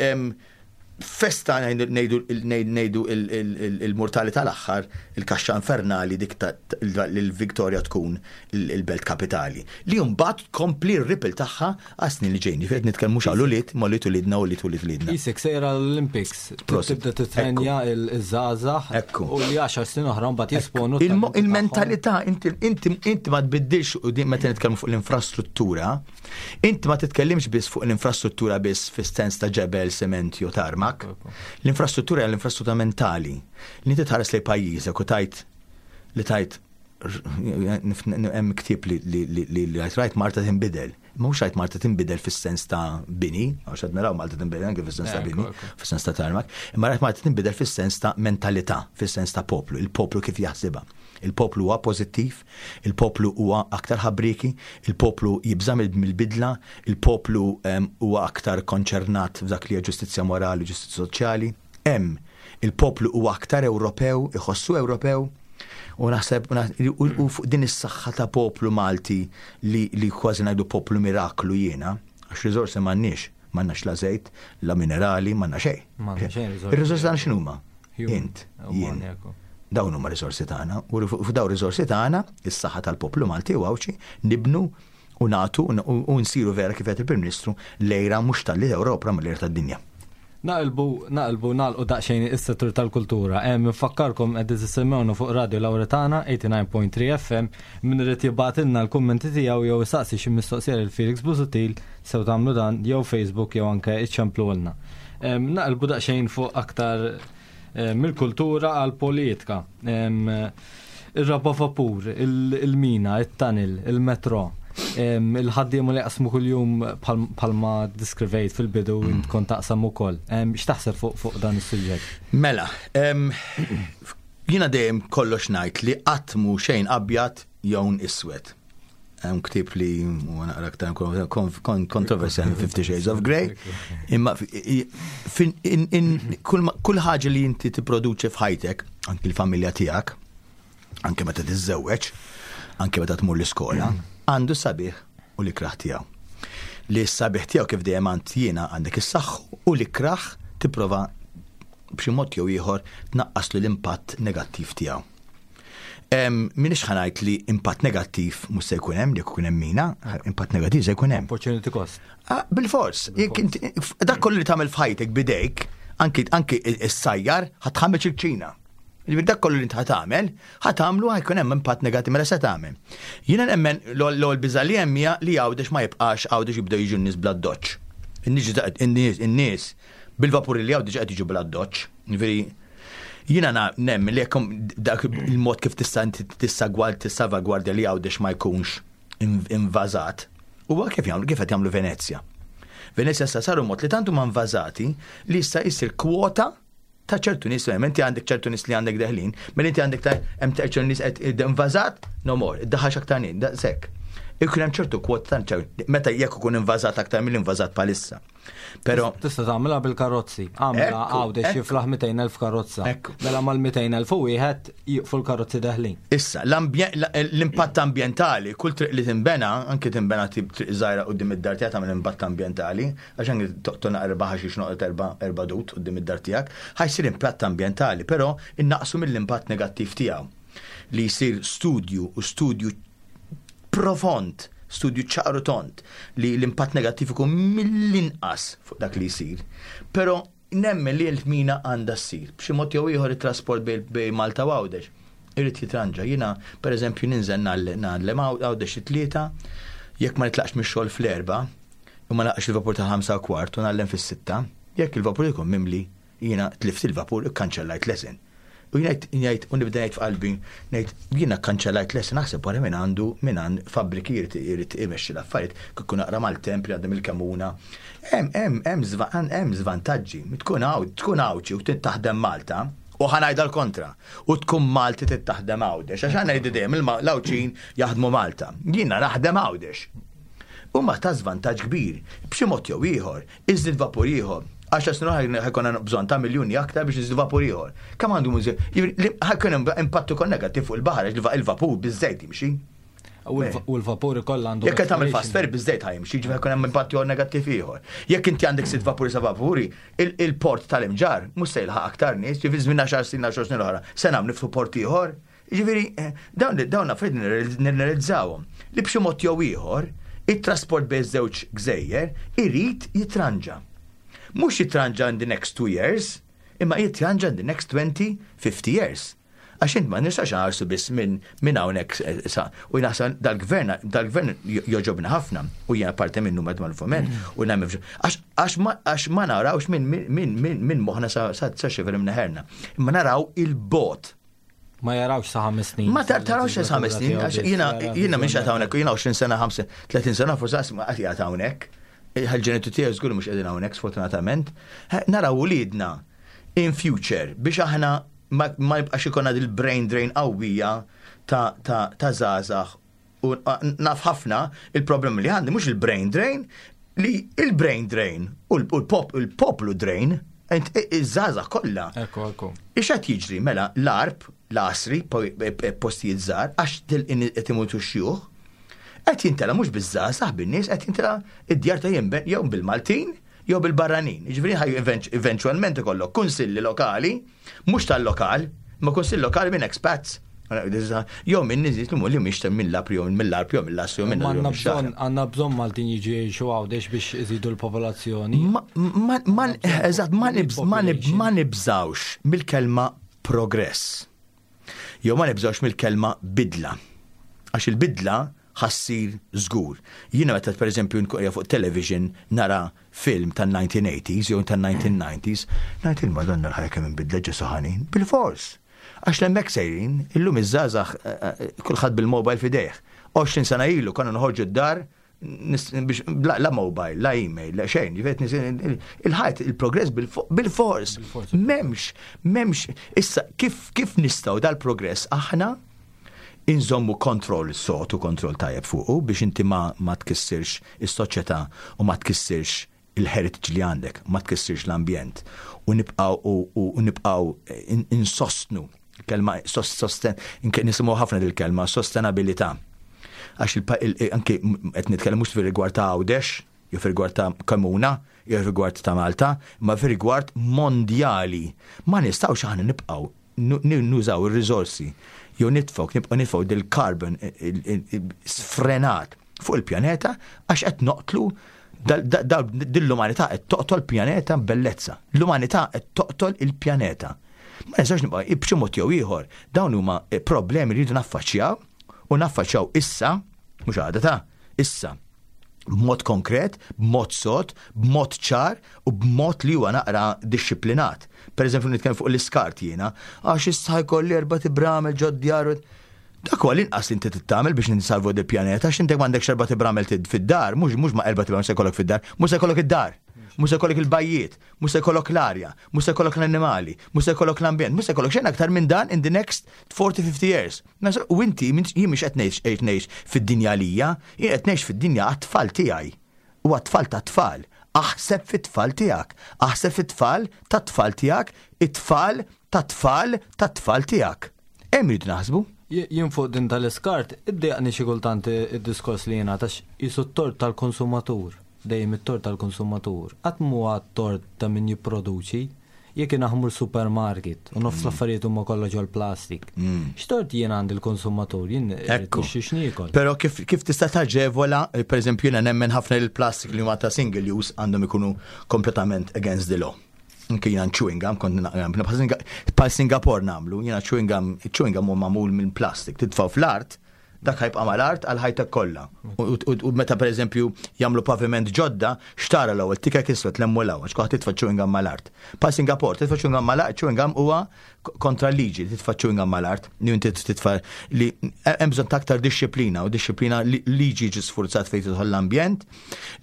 festa ngħidu il-mortali tal-aħħar, il-kaxxa infernali dik l-Victoria tkun il-belt kapitali. Li mbagħad tkompli r-ripple tagħha għas-snin li ġejjin. Ġifieri qed nitkellmu mhux għal ulied, ma ulied ulidna u ulied ulied ulidna. Isek sejra l-Olympics, tibda titrenja il-żgħażagħ u li 10 snin oħra mbagħad jisponu. Il-mentalità inti ma tbiddilx u din meta nitkellmu fuq l-infrastruttura, inti ma titkellimx biss fuq l-infrastruttura biss fis-sens ta' ġebel, sement jew tarmak. L-infrastruttura hija l-infrastruttura mentali. Li inti tħares lejn pajjiżek u tajt li tajt hemm ktieb li li rajt Marta tinbidel. Mhux rajt Malta tinbidel fis-sens ta' bini, għax qed naraw Malta tinbidel anke fis-sens ta' bini, fis-sens ta' tarmak, imma rajt Malta tinbidel fis-sens ta' mentalità, fis-sens ta' poplu, il-poplu kif jaħsibha. Il-poplu huwa pożittiv, il-poplu huwa aktar ħabrieki, il-poplu jibża' mill-bidla, il-poplu huwa aktar konċernat f'dak li hija ġustizzja morali u ġustizzja soċjali. Hemm il-poplu huwa aktar Ewropew, iħossu Ewropew, u naħseb u fuq din is-saħħa ta' poplu Malti li, li kważi ngħidu poplu miraklu jiena, għax riżorsi m'għandniex, m'għandnax la żejt, la minerali, m'għandna xejn. Ir-riżorsi tagħna x'inhuma? Int, jien. Dawn huma riżorsi tagħna u fuq dawn riżorsi tagħna, is-saħħa tal-poplu Malti u Għawdxi nibnu u nagħtu u nsiru vera kif qed il-Prim Ministru lejra mhux tal-Ewropa ma lejra tad-dinja. Naqilbu, naqilbu, nagħlqu daqsxejn is-settur tal-kultura. Hemm infakkarkom qed tisimgħuna fuq Radio Lauretana 89.3 FM min irid jibgħatilna l-kummenti tiegħu jew isaqsi xi mistoqsija lil Felix Busuttil sew tagħmlu dan jew Facebook jew anke iċċemplulna. Naqilbu daqsxejn fuq aktar mill-kultura għall-politika. Ir-raba' vapur, il-mina, it-tunnel, il-metro, il-ħaddiema li jaqsmu kuljum bħalma diskrivejt fil-bidu int kont taqsam ukoll. X'taħseb fuq dan is-suġġett? Mela, jiena dejjem kollox ngħid li qatt mhu xejn abjad jew iswed. Hemm ktieb li huwa naqra aktar kontroversjali Fifty Shades of Grey, imma kull ħaġa li inti tipproduċi f'ħajtek, anki l-familja tiegħek, anke meta tiżżewweġ, anke meta tmur l-iskola, għandu sabiħ u l-ikrah tiegħu. Li s-sabiħ tiegħu kif dejjem għand jiena għandek is-saħħu u l-ikrah tipprova b'xi mod jew ieħor tnaqqas l-impatt negattiv tiegħu. Minix ħanajt li impatt negattiv mhux se jkun hemm, jekk ikun hemm mina, impatt negattiv se jkun hemm. Opportunity cost. Ah, bil-fors, dak kollu li tagħmel f'ħajtek bidejk, anki anki s-sajjar ħatħammeġ il-ċina. Ġifieri dak kollu li inti ħatagħmel, ħatagħmlu ħajkun hemm impatt negattiv mela se tagħmel. Jiena nemmen l-ewwel biża' li hemm hija li Għawdex ma jibqax Għawdex jibdew jiġu n-nies bla doċċ. In-nies bil-vapuri li Għawdex qed jiġu bla doċċ. Ġifieri Jiena nemmen li jekk dak il-mod kif tista' inti tissalvagwardja li Għawdex ma jkunx invażat, huwa kif jagħmlu kif qed jagħmlu Venezja. Venezja issa saru mod li tant huma invażati li issa jsir kwota ta' ċertu nies, inti għandek ċertu nies li għandek deħlin, mela inti għandek ta' hemm ċertu nies qed invażat, no more, iddaħħalx aktar nies, daqshekk. Ikun hemm ċertu kwota ta' meta jekk ikun invażat aktar mill-invażat bħalissa. Pero tista' tagħmilha bil-karozzi. Għamilha għawdex jiflaħ 200,000 karozza. Mela mal-200,000 u wieħed jiqfu l-karozzi deħlin. Issa, l-impatt ambjentali, kull triq li tinbena, anke tinbena triq żgħira quddiem id-dar tiegħek tagħmel impatt ambjentali, għax anke toqtol naqra erba' ħaxix noqgħod erba' dud quddiem id-dar tiegħek, ħa jsir impatt ambjentali, però innaqqsu mill-impatt negattiv tiegħu. Li jsir studju u studju profond, studju ċar u tond, li l-impatt negattiv ikun mill-inqas fuq dak li jsir. Però nemmen li l-mina għandha ssir. B'xi mod jew ieħor it-trasport bejn Malta u Għawdex irid jitranġa. Jiena, pereżempju, ninżel ngħallem Għawdex it-Tlieta, jekk ma nitlaqx mix-xogħol fl-erbgħa u ma nilħaqx il-vapur tal-5:15 u ngħallem fis-sitta, jekk il-vapur ikun mimli, Jiena tlift il-vapur, ikkanċellajt lesson. U jien ngħid, ngħid, u nibda ngħid f'qalbi, ngħid, jiena kkanċellajt lesson, aħseb wara min għandu, min għand fabbriki jrid irid imexxi l-affarijiet, kieku naqra maltemp li għadda mill-Kemuna. Hemm, hemm, hemm hemm żvantaġġi. Tkun Għawd, tkun Għawdxi u trid taħdem Malta, u ħa ngħidha l-kontra, u tkun Malti trid taħdem Għawdex, għax aħna ngħidu dejjem l-Għawdxin jaħdmu Malta. Jiena naħdem Għawdex. Huma ta' żvantaġġ kbir, b'xi mod jew ieħor, Iżdid vapur ieħor. Għaxar snin oħra ħa jkollna bżonn ta' miljuni aktar biex niżdu vapur ieħor. Kemm għandu mużi? Ħa jkun hemm impatt ukoll negattiv fuq il-baħar għax il-vapur biż-żejt jimxi. U l-vapur ikoll għandu. Jekk qed tagħmel fast ferry biż-żejt ħa jimxi, ġifieri jkun hemm impatt ieħor negattiv ieħor. Jekk inti għandek sitt vapuri sa vapuri, il-port tal-Imġarr mhux se jilħaq aktar nies, ġifieri żmien għaxar snin għaxar snin oħra se nagħmlu niftu port ieħor. Jiġifieri, dawn dawn affarijiet nirrealizzawhom li b'xi mod jew ieħor it-trasport bejn żewġ gżejjer irid jitranġa. Mhux jitranġa in the next 2 years, imma jitranġa in the next 20, 50 years. Għax int ma nistax nħarsu biss minn min hawnhekk eh, sa. U naħseb dal-gvern dal-gvern joġobna ħafna u jiena parti minnu madwar il-foment u nagħmel għax ma narawx minn min min min moħħna sa sa xifer imneħerna. Imma naraw il-bot. Ma jarawx sa ħames snin. Ma tarawx sa ħames snin, għax jiena jiena minn xagħat hawnhekk, jiena 20 sena, 30 sena forsi għas ma qatt hawnhekk. Il-ġenitu tiegħi żgur mhux qegħdin hawnhekk sfortunatament. Naraw uliedna in future biex aħna ma jibqax ikollna dil-brain drain qawwija ta' żgħażagħ U naf ħafna il-problemi li għandi mhux il-brain drain, li il-brain drain u l-poplu drain, iż-żgħażagħ kollha. Ekku, ekku. Ix qed jiġri mela l-arb, l-għasri, postijiet żgħar, għax qed imutu xjuħ, qed jintela mhux biż-żgħażagħ bin-nies, qed jintela id-djar ta' jinben jew bil-Maltin jew bil-barranin. Jiġifieri ħaj eventualment ikollok kunsilli lokali, mhux tal-lokal, ma kunsill lokali minn expats. Jew minn nies li li mhix minn l-apri jew mill-arp jew mill-assi jew minn Għandna bżonn Maltin jiġu jgħixu Għawdex biex iżidu l-popolazzjoni. Eżatt, ma nibżgħux mill-kelma progress. Jew ma nibżgħux mill-kelma bidla. Għax il-bidla ħa ssir żgur. Jiena meta pereżempju nkun qiegħda fuq television nara film tan-1980s jew tan-1990s, ngħid il-Madonna l-ħajja kemm inbidlet Ġesù ħanin. Bilfors! Għax l'hemmhekk sejrin, illum iż-żgħażagħ kulħadd bil-mobile f'idejh. 20 sena ilu konna noħorġu d-dar biex la mobile, la email, la xejn, il-ħajt, il-progress bil-fors. Memx, memx, issa kif, kif nistaw dal-progress aħna inżommu kontroll sod u kontroll tajjeb fuqu biex inti ma, ma tkissirx is-soċjetà u ma tkissirx il-heritage li għandek, ma tkissirx l-ambjent u nibqgħu u nibqgħu insostnu kelma sosten nisimgħu ħafna dil-kelma sostenabilità. Għax anke qed nitkellem mhux fir-rigward ta' Għawdex, jew fir-rigward ta' Kemuna, jew fir-rigward ta' Malta, imma fir-rigward mondjali. Ma nistgħux aħna nibqgħu nużaw ir-riżorsi jew nitfgħu nibqgħu nitfgħu dil-carbon sfrenat fuq il-pjaneta għax qed noqtlu dil-umanità qed toqtol pjaneta bellezza. L-umanità qed toqtol il-pjaneta. Ma nistax nibqa' b'xi mod jew ieħor dawn huma problemi li rridu naffaċċjaw u naffaċċjaw issa, mhux għada ta' issa b'mod konkret, b'mod sod, b'mod ċar u b'mod li huwa naqra dixxiplinat. Per eżempju, nitkellem fuq l-iskart jiena, għax issa jkolli erba' tibramel ġod djar. Dak huwa l-inqas li inti tagħmel biex ninsalvu di pjaneta għax inti m'għandekx erba' tibramel fid-dar, mhux mhux ma erba' tibramel se jkollok fid-dar, mhux se jkollok id-dar, mhux se jkollok il-bajjiet, mhux se jkollok l-arja, mhux se jkollok l-annimali, mhux se jkollok l-ambjent, mhux se jkollok xejn aktar minn dan in the next 40-50 years. U inti jien mhux qed ngħix ngħix fid-dinja lija, jien qed ngħix fid-dinja għat-tfal tiegħi. U għat-tfal ta' tfal. Aħseb fit-tfal tiegħek, aħseb fit-tfal ta' tfal tiegħek, it-tfal ta' tfal ta' tfal tiegħek. Hemm irid naħsbu. Jien fuq din tal-iskart, iddejjaqni xi kultant id-diskors li jingħata qisu t-tort tal-konsumatur, dejjem it-tort tal-konsumatur. Qatt m'huwa t-tort ta' min jipproduċi. Jekk jiena ħmur supermarket u nofs l-affarijiet huma kollha ġol-plastik. X'tort jien għandi l-konsumatur, jien irrid nixtri x'niekol. Però kif, kif tista' taġevola, per eżempju, jiena nemmen ħafna li l-plastik li huma ta' single use għandhom ikunu kompletament against the law. Anke jiena chewing gum, kont bħal Singapore nagħmlu, jiena chewing gum, chewing gum huwa magħmul minn plastik, titfgħu fl-art, dak ħa jibqa' mal-art għal ħajtek kollha. U meta pereżempju jagħmlu paviment ġodda, xtara l-ewwel tikek iswed lemmu l għax kulħadd titfa' chewing gum mal-art. Pa Singapore, titfa' chewing gum mal-art, chewing gum huwa kontra l-liġi, titfa' chewing gum mal-art, li inti titfa' li hemm bżonn ta' aktar dixxiplina u dixxiplina liġi ġi sfurzat fejn tidħol l-ambjent,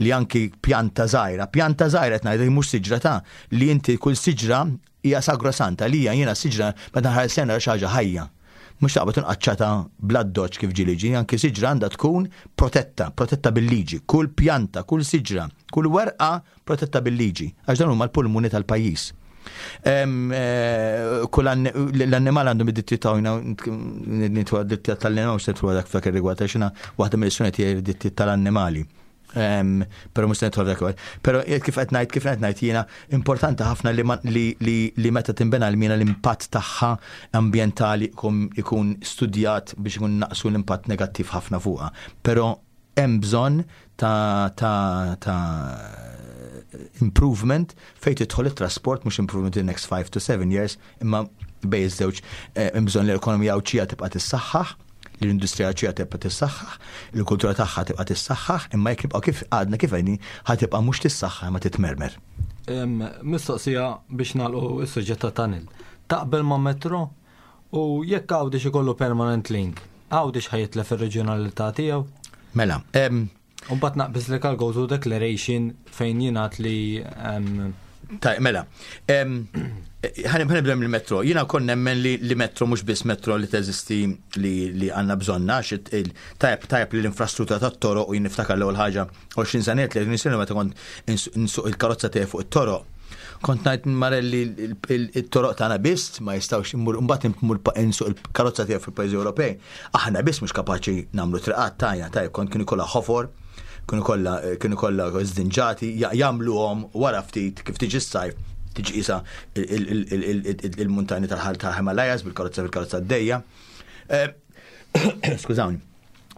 li anki pjanta żgħira, pjanta żgħira qed ngħidlek mhux siġra ta' li inti kull siġra hija sagrosanta li hija jiena siġra meta nħares lejha xi ħaġa ħajja. Mhux taqbad inqaċċata bl-addoċ kif ġieli ġi, anki siġra għandha tkun protetta, protetta bil-liġi. Kull pjanta, kull siġra, kull werqa protetta bil-liġi, għax dan huma l-pulmuni tal-pajjiż. Kull l-annimal għandhom id-dritti ta' nitwa d-dritti tal-annimal, mhux nitwa dak f'dak ir-rigward, għax jiena waħda mill-istrumenti tiegħi d-dritti tal-annimali. Pero mhux nidħol dak. Pero kif qed ngħid, kif qed ngħid jiena importanti ħafna li, li, li, li meta tinbena l-mina l-impatt tagħha ambjentali ikun studjat biex ikun naqsu l-impatt negattiv ħafna fuqha. Pero hemm bżonn ta' improvement fejn tidħol it-trasport, mhux improvement in the next 5 to 7 years, imma bejn iż-żewġ hemm bżonn li l-ekonomija Għawdxija tibqa' tissaħħaħ, li l-industrija Għawdxija tibqa' tissaħħaħ, li l-kultura tagħha tibqa' tissaħħaħ, imma jekk nibqgħu kif għadna kif għedni ħa tibqa' mhux tissaħħaħ imma titmermer. Mistoqsija biex nagħlqu s-suġġett ta' tunnel. Taqbel ma' metro u jekk Għawdex ikollu permanent link, Għawdex ħa jitlef ir-reġjonalità tiegħu? Mela, U mbagħad naqbiż li għal Gozo Declaration fejn jingħad li Taj, mela, ħa nibda mill-metro. Jiena kont nemmen li metro mhux biss metro li teżisti li għandna bżonna, tajb tajb li l-infrastruttura tat-toroq u jien niftakar l-ewwel ħaġa 20 sena 30 sena meta kont insuq il-karozza tiegħi fuq it-toroq. Kont ngħid marelli il-toroq tagħna biss ma jistgħux immur mbagħad immur insuq il-karozza tiegħi fil-pajjiżi Ewropej. Aħna biss mhux kapaċi nagħmlu triqat tajna tajb kont kienu kollha ħofor, kienu kollha żdinġati, jagħmluhom wara ftit kif tiġi s-sajf tiġi isa il-muntani tal-ħal tal-Himalayas bil-karozza d-dejja. Skużawni.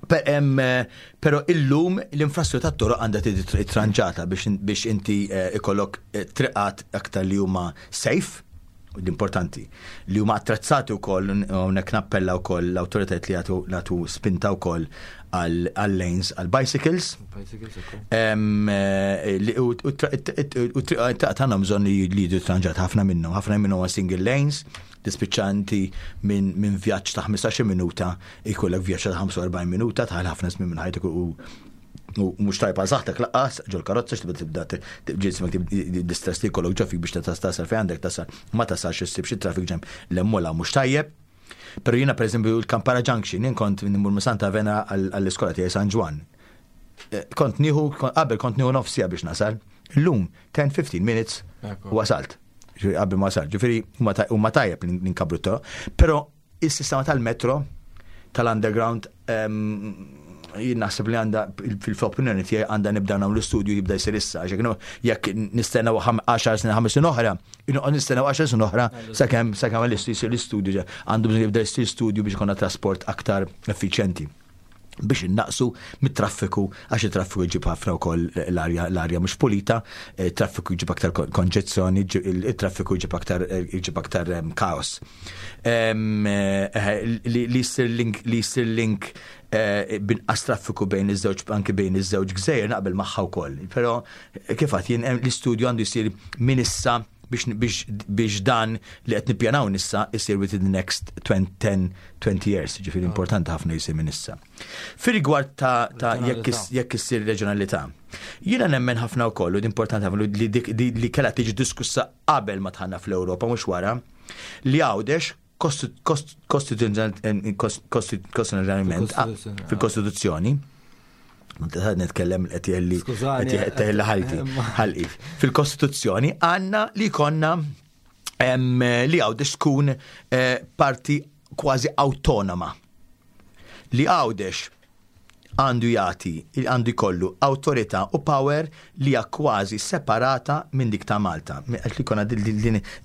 Pero illum l-infrastruttura tat-toroq għandha tiġi tranġata biex inti ikollok triqat aktar li huma safe, l-importanti, li huma attrezzati wkoll, hawnhekk nappella wkoll l-awtoritajiet li jagħtu spinta wkoll għal lanes għal bicycles. U triqat għandhom bżonn li jiġu tranġat ħafna minnhom, ħafna minnhom huma single lanes, tispiċċa inti minn vjaġġ ta' 15 minuta jkollok vjaġġ ta' 45 minuta, tħall ħafna żmien minn ħajtek u mhux tajba saħtek laqqas ġol karozza x'tibda tibda ġismek l-istress li jkollok ġo fik biex tasal fejn għandek tasal ma tasalx issib xi traffic jam l-emmola mhux tajjeb. Però jiena pereżempju l-Kampara Junction, jien kont nimur minn Santa Vena għall-iskola tiegħi San Ġwann. Kont nieħu, qabel kont nieħu nofs siegħa biex nasal. Illum 10-15 minutes wasalt. Ġifieri qabel ma wasalt. Ġifieri huma tajjeb li nkabru t-toroq. Però is-sistema tal-metro tal-underground jien naħseb li għandha fil-opinjoni tiegħi għandha nibda nagħmlu l-istudju jibda jsir issa, għax jekk nistennew 10 snin, 5 snin oħra, inqgħod nistennew 10 snin oħra sakemm jsir l-istudju, għandu bżonn jibda jsir studju biex ikollna trasport aktar effiċjenti biex innaqsu mit-traffiku, għax it-traffiku jġib ħafna wkoll l-arja mhux pulita, it-traffiku jġib aktar konġezzjoni, it-traffiku jġib aktar, jġib aktar kaos. Li jsir link, li jsir link binqas traffiku bejn iż-żewġ, anki bejn iż-żewġ gżejjer naqbel magħha wkoll. Però kif għad jien l-istudju għandu jsir minn issa. biex biex dan li qed nippjanaw nissa isir within the next 20, 10, 20 years, ġifieri importanti ħafna jisir minn issa. Fir-rigward ta', ta jekk jekk issir reġjonalità. Jiena nemmen ħafna wkoll u importanti ħafna li dik li kellha tiġi diskussa qabel ma tħanna fl-Ewropa mhux wara li Għawdex kostituzzjonalment fil-Kostituzzjoni nitkellem qed jelli qed jelli ħalti ħalqi. Fil-Kostituzzjoni għandna li konna li Għawdex tkun eh, parti kważi awtonoma. Li Għawdex għandu jagħti, għandu jkollu awtorità u power li hija kważi separata minn dik ta' Malta. Għax li jkollna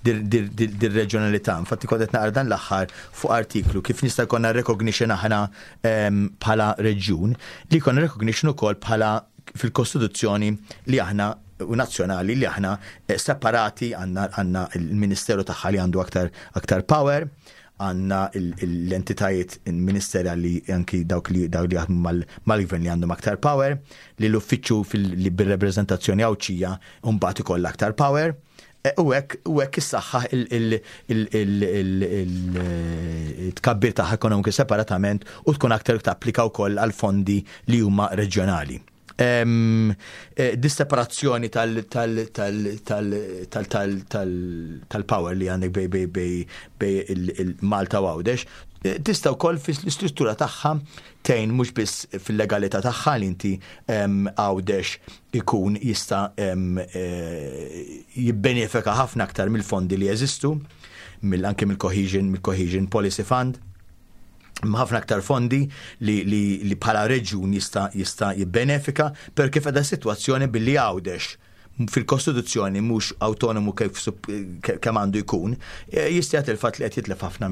dir-reġjonalità. Infatti kont qed naqra dan l-aħħar fuq artiklu kif nista' jkollna recognition aħna bħala reġjun, li jkollna recognition ukoll bħala fil-Kostituzzjoni li aħna u nazzjonali li aħna eh, separati għandna il-Ministeru tagħha li għandu aktar aktar power, għandna l-entitajiet ministerjali anki dawk li dawk li jaħdmu mal-gvern li għandhom aktar power, li l-uffiċċju li bir-reprezentazzjoni Għawdxija mbagħad ikollha aktar power. E, u hekk u hekk issaħħaħ il-tkabbir tagħha ekonomiku separatament u tkun aktar tapplika wkoll għal fondi li huma reġjonali. Eh, dis-separazzjoni tal-power li għandek bej bej bej bej il-Malta u Għawdex, eh, tista' wkoll fl-istruttura tagħha tgħin mhux biss fil-legalità tagħha li inti Għawdex ikun jista' eh, jibbenefika ħafna aktar mill-fondi li jeżistu, mill anke mill-Cohesion, mill-Cohesion Policy Fund ħafna aktar fondi li, li, li bħala reġjun jista' jista' jibbenefika per kif qiegħda sitwazzjoni billi Għawdex fil-Kostituzzjoni mhux autonomu kif kemm għandu jkun, e, jista' jagħti il-fatt li qed jitlef ħafna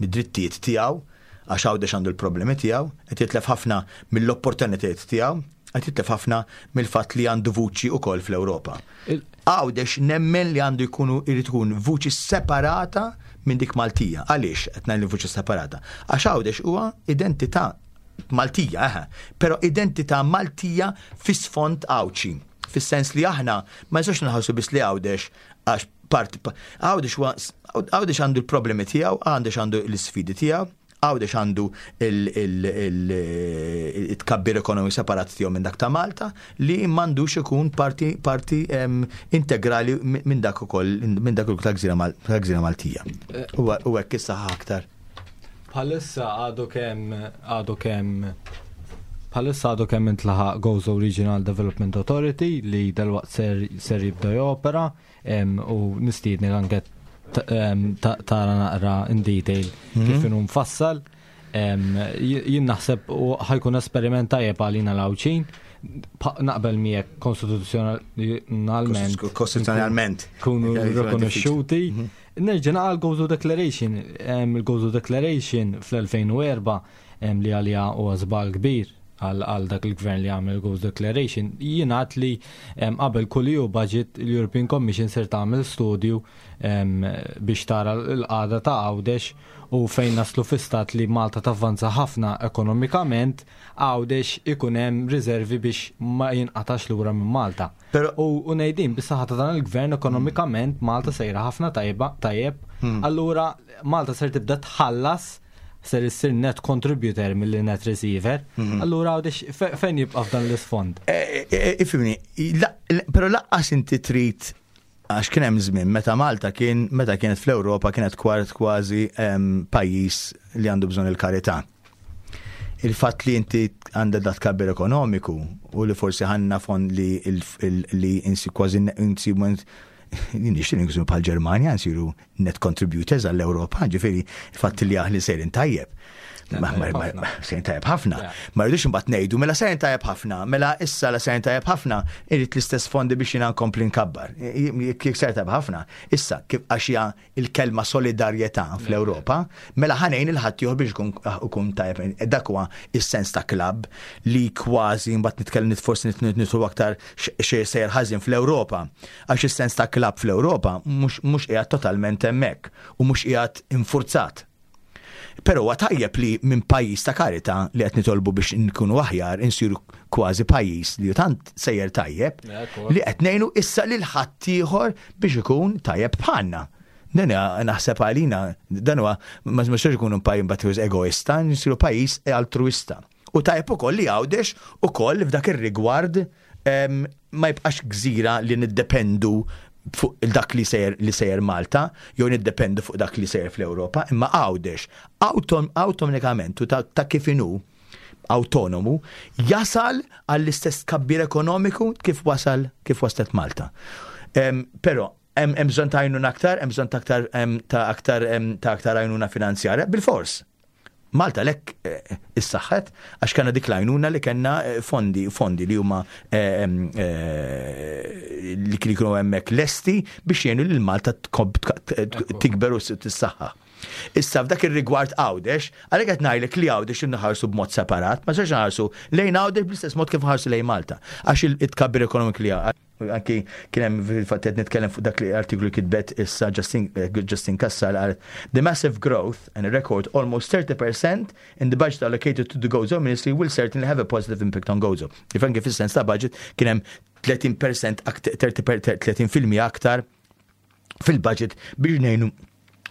mid-drittijiet tiegħu għax Għawdex għandu l-problemi tiegħu, qed jitlef ħafna mill-opportunitajiet tiegħu, qed jitlef ħafna mill-fatt li għandu vuċi wkoll fl-Ewropa. Għawdex nemmen li għandu jkunu jrid ikun vuċi separata minn dik Maltija. Għaliex qed ngħid vuċi separata? Għax Għawdex huwa identità Maltija, eħe, però identità Maltija fi sfond Għawdxi. Fis-sens li aħna ma nistgħux nħassu biss li Għawdex għax part Għawdex huwa Għawdex għandu l-problemi tiegħu, Għawdex għandu l-isfidi tiegħu, Għawdex għandu il-tkabbir ekonomiku separat tiegħu minn dak ta' Malta li m'għandux ikun parti parti integrali minn dak ukoll minn dak tal-gżira Maltija. Eh. U hekk issaħħa aktar. Bħalissa għadu kemm għadu kemm bħalissa għadu kemm intlaħaq Gozo Regional Development Authority li dalwaqt ser, ser jibda jopera. U nistiedni anke tara naqra in detail mhm. kif inhu mfassal. Jien naħseb ħajkun esperiment tajjeb għalina l-Għawdxin. Naqbel miegħek konstituzzjonalment. Konstituzzjonalment. Kunu rikonoxxuti. Mhm. Nerġa' naqal Gozo Declaration. Il-Gozo Declaration fl-2004 li għalija huwa żball kbir għal dak il-gvern li għamel Gozo Declaration, jingħad li qabel kull EU budget l-European Commission ser tagħmel studju biex tara l-qagħda ta' Għawdex u fejn naslu fi stat li Malta tavvanza ħafna ekonomikament, Għawdex ikun hemm riservi biex ma jinqatax lura minn Malta. U ngħidin bis-saħħa ta' dan il-gvern ekonomikament Malta sejra ħafna tajba tajjeb, hmm. allura Malta ser tibda tħallas ser issir net contributor milli net receiver, mhm. allura għawdex fejn jibqa' f'dan l-isfond? Eh, eh, eh, ifimni, pero laqqas inti trid għax kien hemm żmien meta Malta kien meta kienet fl-Ewropa kienet kwart kważi pajjiż li għandu bżonn il-karità. Il-fatt li inti għandha dat kabbir ekonomiku u li forsi ħanna fond li li insi kważi insi nixtieq nsiru bħal Ġermanja nsiru net contributors għall-Ewropa, ġifieri il-fatt li aħli sejrin tajjeb. Sejrin tajjeb ħafna. Ma rridux imbagħad ngħidu mela sejrin tajjeb ħafna, mela issa la sejrin tajjeb ħafna, irid l-istess fondi biex jiena nkompli nkabbar. Jekk sejrin tajjeb ħafna, issa kif għax hija il-kelma solidarjetà fl-Ewropa, mela ħanejn il-ħaddieħor biex ikun tajjeb. Dak huwa is-sens ta' klabb li kważi mbagħad nitkellem forsi nitlu aktar xejn sejjer ħażin fl-Ewropa. Għax is-sens ta' klabb fl-Ewropa mhux qiegħed totalment hemmhekk u mhux qiegħed infurzat. Però huwa tajjeb li minn pajjiż ta' karità li qed nitolbu biex nkunu aħjar insiru kważi pajjiż li tant sejjer tajjeb li qed ngħinu issa lil ħaddieħor biex ikun tajjeb bħalna. Dan naħseb għalina, dan huwa ma nistax ikunu pajjiż mbagħad egoista, nsiru pajjiż altruista. U tajjeb ukoll li Għawdex ukoll f'dak ir-rigward ma jibqax gżira li niddependu fuq dak li sejjer li sejjer Malta, jew niddependu fuq dak li sejjer fl-Ewropa, imma Għawdex awtomatikament u ta' kif inhu awtonomu jasal għall-istess tkabbir ekonomiku kif wasal kif waslet Malta. Però hemm bżonn ta' għajnuna aktar, hemm bżonn ta' aktar ta' aktar ta' aktar għajnuna finanzjarja bil-fors. Malta lek eh, issaħħet għax kellna dik l-għajnuna li kellna eh, fondi fondi li huma eh, li kienu hemmhekk lesti biex jgħinu lil Malta tikber u tissaħħa. Issa f'dak ir-rigward Għawdex, għalhekk qed ngħidlek li Għawdex inħarsu b'mod separat, ma sax nħarsu lejn Għawdex bl-istess mod kif nħarsu lejn Malta. Għax it-tkabbir ekonomik li Anki kien hemm fil-fatt qed nitkellem fuq dak li artiklu li kitbet issa Justin, eh, Justin Kassar qalet The massive growth and a record almost 30% in the budget allocated to the Gozo Ministry will certainly have a positive impact on Gozo. If anki fis-sens ta' budget kien hemm 30% 30% aktar fil-budget biex ngħinu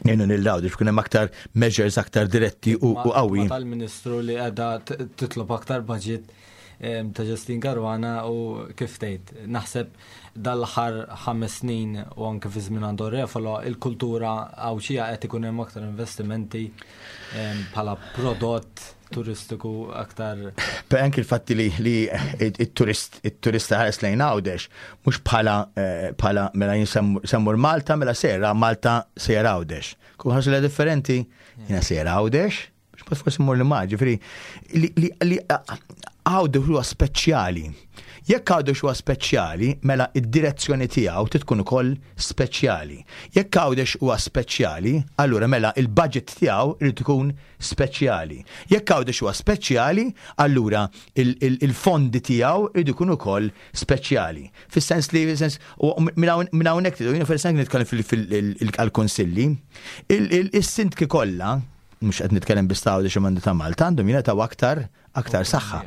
ngħinu lil Għawdex biex hemm aktar measures aktar diretti u qawwi. Tal-Ministru li qiegħda titlob aktar budget ta' Justin Caruana u kif tgħid, naħseb dal-aħħar 5 snin u anke fi żmien Andor Refalo il-kultura Għawdxija qed ikun hemm aktar investimenti bħala prodott turistiku aktar. Per anki il-fatti li, li il-turist il-turista ħares lejn Għawdex mhux bħala eh, bħala mela jinsemmur Malta mela sejra Malta sejra Għawdex. Kun ħarsu li differenti jiena sejra Għawdex, biex ma forsi mmur li ma, ġifieri li li Għawdex huwa speċjali. Jekk Għawdex huwa speċjali, mela id-direzzjoni tiegħu titkun ukoll speċjali. Jekk Għawdex huwa speċjali, allura mela il-budget tiegħu irid ikun speċjali. Jekk Għawdex huwa speċjali, allura il-fondi tiegħu jridu jkunu wkoll speċjali. Fis-sens li sens minn hawnhekk tidu, jiena fis-sens nitkellem fil-kunsilli, is-sindki kollha, mhux qed nitkellem biss ta' Għawdex imma ta' Malta, għandhom jingħataw aktar aktar saħħa.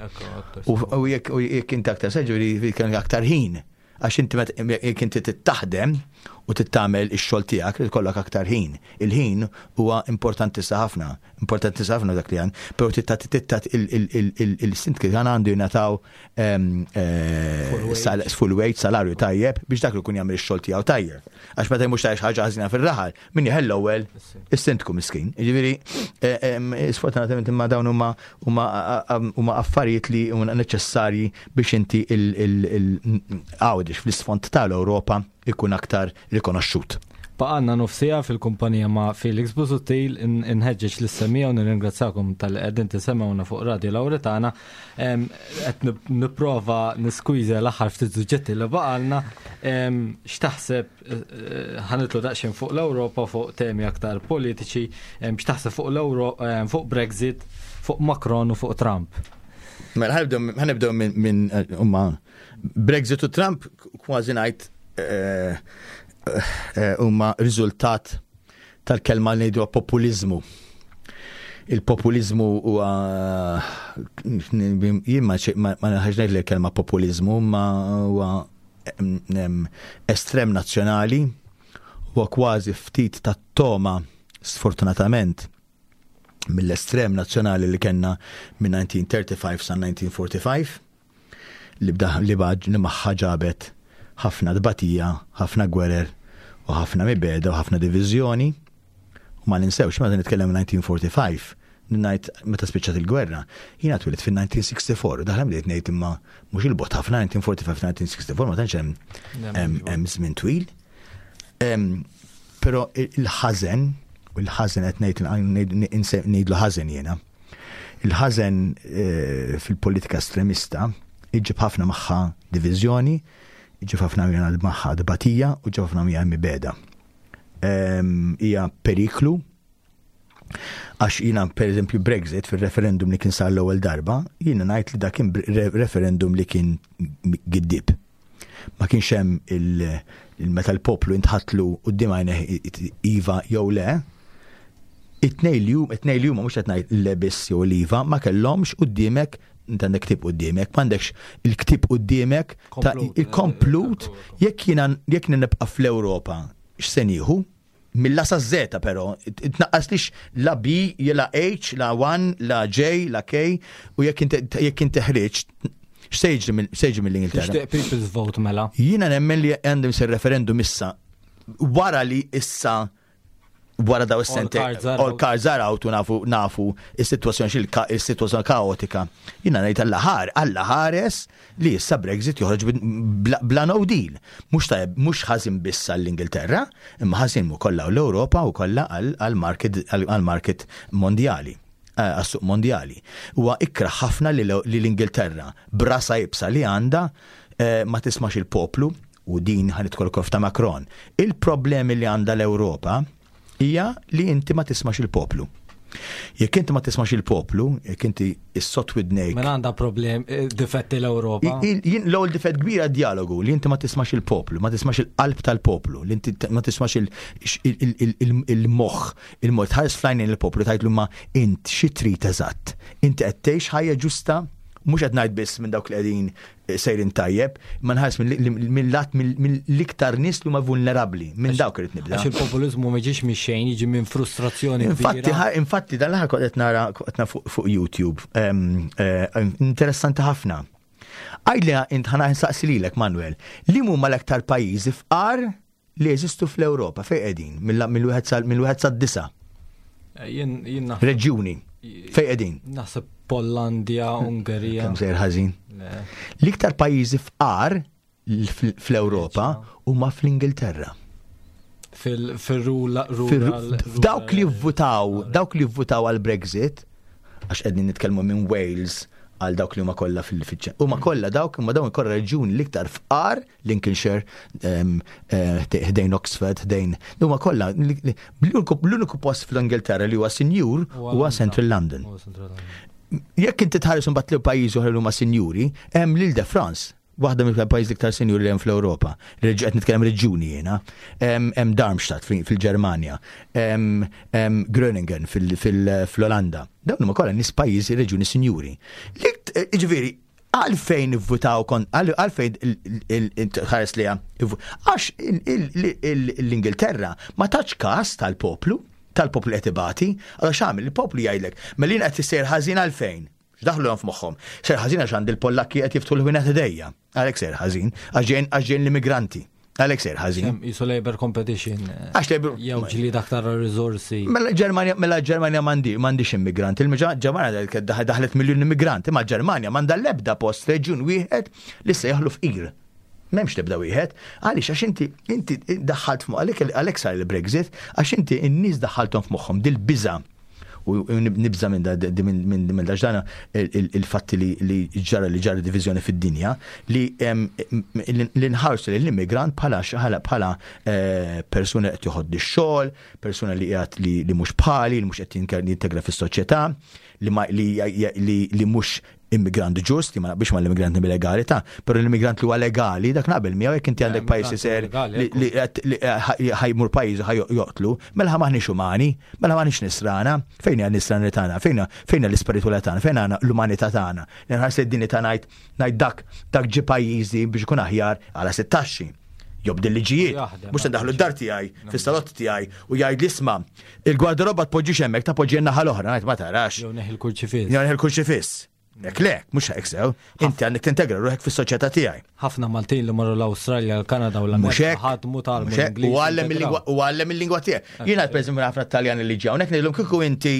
U jekk inti aktar saħħa, ġifieri aktar ħin. Għax inti jekk inti trid taħdem u trid tagħmel ix-xogħol tiegħek trid ikollok aktar ħin. Il-ħin huwa importanti ħafna, importanti ħafna dak li għan, però tittat il-sindki għan għandu jingħataw full wage, salarju tajjeb biex dak li kun jagħmel ix-xogħol tiegħu tajjeb. Għax meta mhux tajx ħaġa ħażina fir-raħal, min jeħel l-ewwel is-sindku miskin. Jiġifieri sfortunatament imma dawn huma huma affarijiet li huma neċessarji biex inti il-Għawdex fl-isfond tal-Ewropa ikun aktar rikonoxxut. Baqgħalna nofs siegħa fil-kumpanija ma' Felix Busuttil, inħeġġeġ lis-semmiegħa u nirringrazzakom talli qegħdin tisimgħuna fuq Radio Lauretana. Qed nipprova niskwiża l-aħħar ftit suġġetti li baqgħalna. X'taħseb ħa nitlu daqsxejn fuq l-Ewropa fuq temi aktar politiċi, x'taħseb fuq l-Euro fuq Brexit, fuq Macron u fuq Trump? Mela ħa nibdew minn huma Brexit u Trump kważi ngħid huma riżultat tal-kelma li ngħidu populizmu. Il-populizmu huwa jien ma naħx ngħid li l-kelma populizmu ma huwa estrem nazzjonali huwa kważi ftit ta' toma sfortunatament mill-estrem nazzjonali li kellna minn 1935 sa 1945 li bda li baġ li magħha ġabet ħafna tbatija, ħafna gwerer u ħafna mibegħda u ħafna diviżjoni. U ma ninsewx, meta nitkellem 1945, ngħid meta spiċċat il-gwerra, jiena twilit fil-1964, daħlem bdejt ngħid imma mhux il-bogħod ħafna 1945-1964 ma tantx hemm żmien twil. Però il-ħażen, u il-ħażen qed ngħid ngħidlu ħażen jiena. Il-ħażen fil-politika estremista iġib ħafna magħha diviżjoni, iġib ħafna magħha tbatija u ġib ħafna magħha mibegħda. Hija periklu għax jiena per eżempju Brexit fil-referendum li kien sar l-ewwel darba, jiena ngħid li dak kien referendum li kien giddib. Ma kienx hemm il-meta l-poplu intħatlu quddiem għajneh iva jew le. It-tnejn li huma, it-tnejn li huma mhux qed ngħid le biss jew l-iva, ma kellhomx quddiemek, inti għandek ktieb quddiemek, m'għandekx il-ktieb quddiemek ta' il-komplut jekk jiena jekk nibqa' fl-Ewropa x'se nieħu? Mill-A sa Z però, tnaqqaslix la B, la H, la 1, la J, la K, u jekk inti jekk inti ħriġt, x'se jiġri x'se jiġri mill-Ingilterra? Tixtieq people's vote mela? Jiena nemmen li għandhom isir referendum issa wara li issa wara daw is-sente all cards are out u nafu nafu is-sitwazzjoni xil is-sitwazzjoni kaotika. Jiena ngħid alla ħar, alla ħares li issa Brexit joħroġ bla no deal. Mhux tajjeb, mhux ħażin biss għall-Ingilterra, imma ħażin ukoll l-Ewropa u kollha għall-market għall-market mondjali eh, għas-suq mondjali. Huwa ikra ħafna li l-Ingilterra brasa ibsa li għandha eh, ma tismax il-poplu u din ħa nidħol ukoll f'ta' Macron, il-problemi li għandha l-Ewropa hija li inti ma tismax il-poplu. Jekk inti ma tismax il-poplu, jekk inti issot widnejk. Mela għandha problem, eh, difetti l-Ewropa. Jien l-ewwel difett kbira dialogu li inti ma tismax il-poplu, ma tismax il-qalb tal-poplu, li inti ma tismax il-moħħ, il-moħħ tħares flajn il-poplu tgħidlu ma int xi trid eżatt. Inti qed tgħix ħajja ġusta, mhux qed ngħid biss minn dawk li qegħdin sejrin tajjeb, ma nħares mill-lat mill-iktar nies li huma vulnerabbli, minn dawk irid nibda. Għax il-populiżmu ma jiġix minn xejn, jiġi minn frustrazzjoni. Infatti, infatti dan l-aħħar kont qed nara qed fuq YouTube, eh, interessanti ħafna. Għidli int ħana nsaqsi lilek Manuel, li huma l-aktar pajjiżi fqar li jeżistu fl-Ewropa fejn qegħdin mill-wieħed sad-disa'? Eh, jien Reġjuni fejn qegħdin? Naħseb Pollandja, Ungerija. Kemm sejr ħażin. L-iktar pajjiżi fqar fl-Ewropa huma fl-Ingilterra. Fil-rural. Dawk li vvutaw, dawk li vvutaw għal Brexit, għax qegħdin nitkellmu minn Wales għal dawk li huma kollha fil-fiċċa. Huma kollha dawk huma dawn kollha reġjuni l-iktar fqar Lincolnshire, eh, ħdejn Oxford, ħdejn. Huma kollha l-uniku post fl-Ingilterra li huwa sinjur huwa Central London. Jekk inti tħares imbagħad li pajjiżi oħra li huma sinjuri, hemm lil de France, waħda mill-pajjiż l-iktar sinjuri li hemm fl-Ewropa. Qed nitkellem reġjuni jiena. Hemm Darmstadt fil-Ġermanja, hemm Groningen fil-Olanda. Dawn huma kollha nies pajjiżi reġjuni sinjuri. Jiġifieri, Għalfejn ivvutaw kon, għalfejn ħares li għax l-Ingilterra ma tax kas tal-poplu, tal-poplu qed ibati, għal x'għamel il-poplu jgħidlek, mela qed issejr ħażin għalfejn. X'daħlu f'moħħhom? Sejr ħażin għax għand il-Pollakki qed jiftħu l-ħwienet idejja. Għalhekk sejr ħażin, għax ġejn l-immigranti. Għalhekk sejr ħażin. Jisu labor competition. Eh, Għax labor. Jew ġlied aktar riżorsi. Mela Ġermanja mela Ġermanja m'għandi m'għandix immigranti. Il-Ġermanja daħlet miljun immigranti, ma Ġermanja m'għandha l-ebda post reġjun wieħed li se jaħlu fqir. M'hemmx l-ebda wieħed. Għaliex għax inti inti daħħalt f'moħħ għalhekk għalhekk sar il-Brexit, għax inti n-nies daħħalthom f'moħħhom dil-biża' u nibża minn minn dana il-fatti li ġara li ġara diviżjoni fid-dinja li li nħarsu lill-immigrant bħala bħala eh, persuna qed joħod ix-xogħol, persuna li qiegħed li mhux bħali, li mhux qed jintegra fis-soċjetà, li mhux immigrant ġust, li ma naqbilx ma l-immigranti illegali ta' però l-immigrant li huwa legali, dak naqbel miegħu jekk inti għandek pajjiż iser li ħajmur pajjiż ħaj joqtlu, mela maħniex umani, mela maħniex nisrana, fejn hija nisrana tagħna, fejn fejn l-ispiritwalità tagħna, fejn għandna l-umanità tagħna. Nħares li d-dinjità ngħid ngħid dak dak ġi pajjiżi biex ikun aħjar għala sittaxxi jobdi l-liġijiet, mhux daħlu d-dar tiegħi, fis-salott tiegħi u jgħid li isma' il-gwardarobba tpoġġix hemmhekk ta' poġġi naħa l-oħra, ngħid ma tarax. Jew neħi l-kurċifiss. Jew neħi l-kurċifiss. Jekk le, mhux hekk sew, inti għandek tintegra ruħek fis-soċjetà tiegħi. Ħafna Maltin li marru l-Awstralja, l-Kanada u l-Amerika ħadmu tal U għallem il-lingwa tiegħek. Jiena pereżempju ħafna Taljani li ġew hawnhekk ngħidilhom kieku inti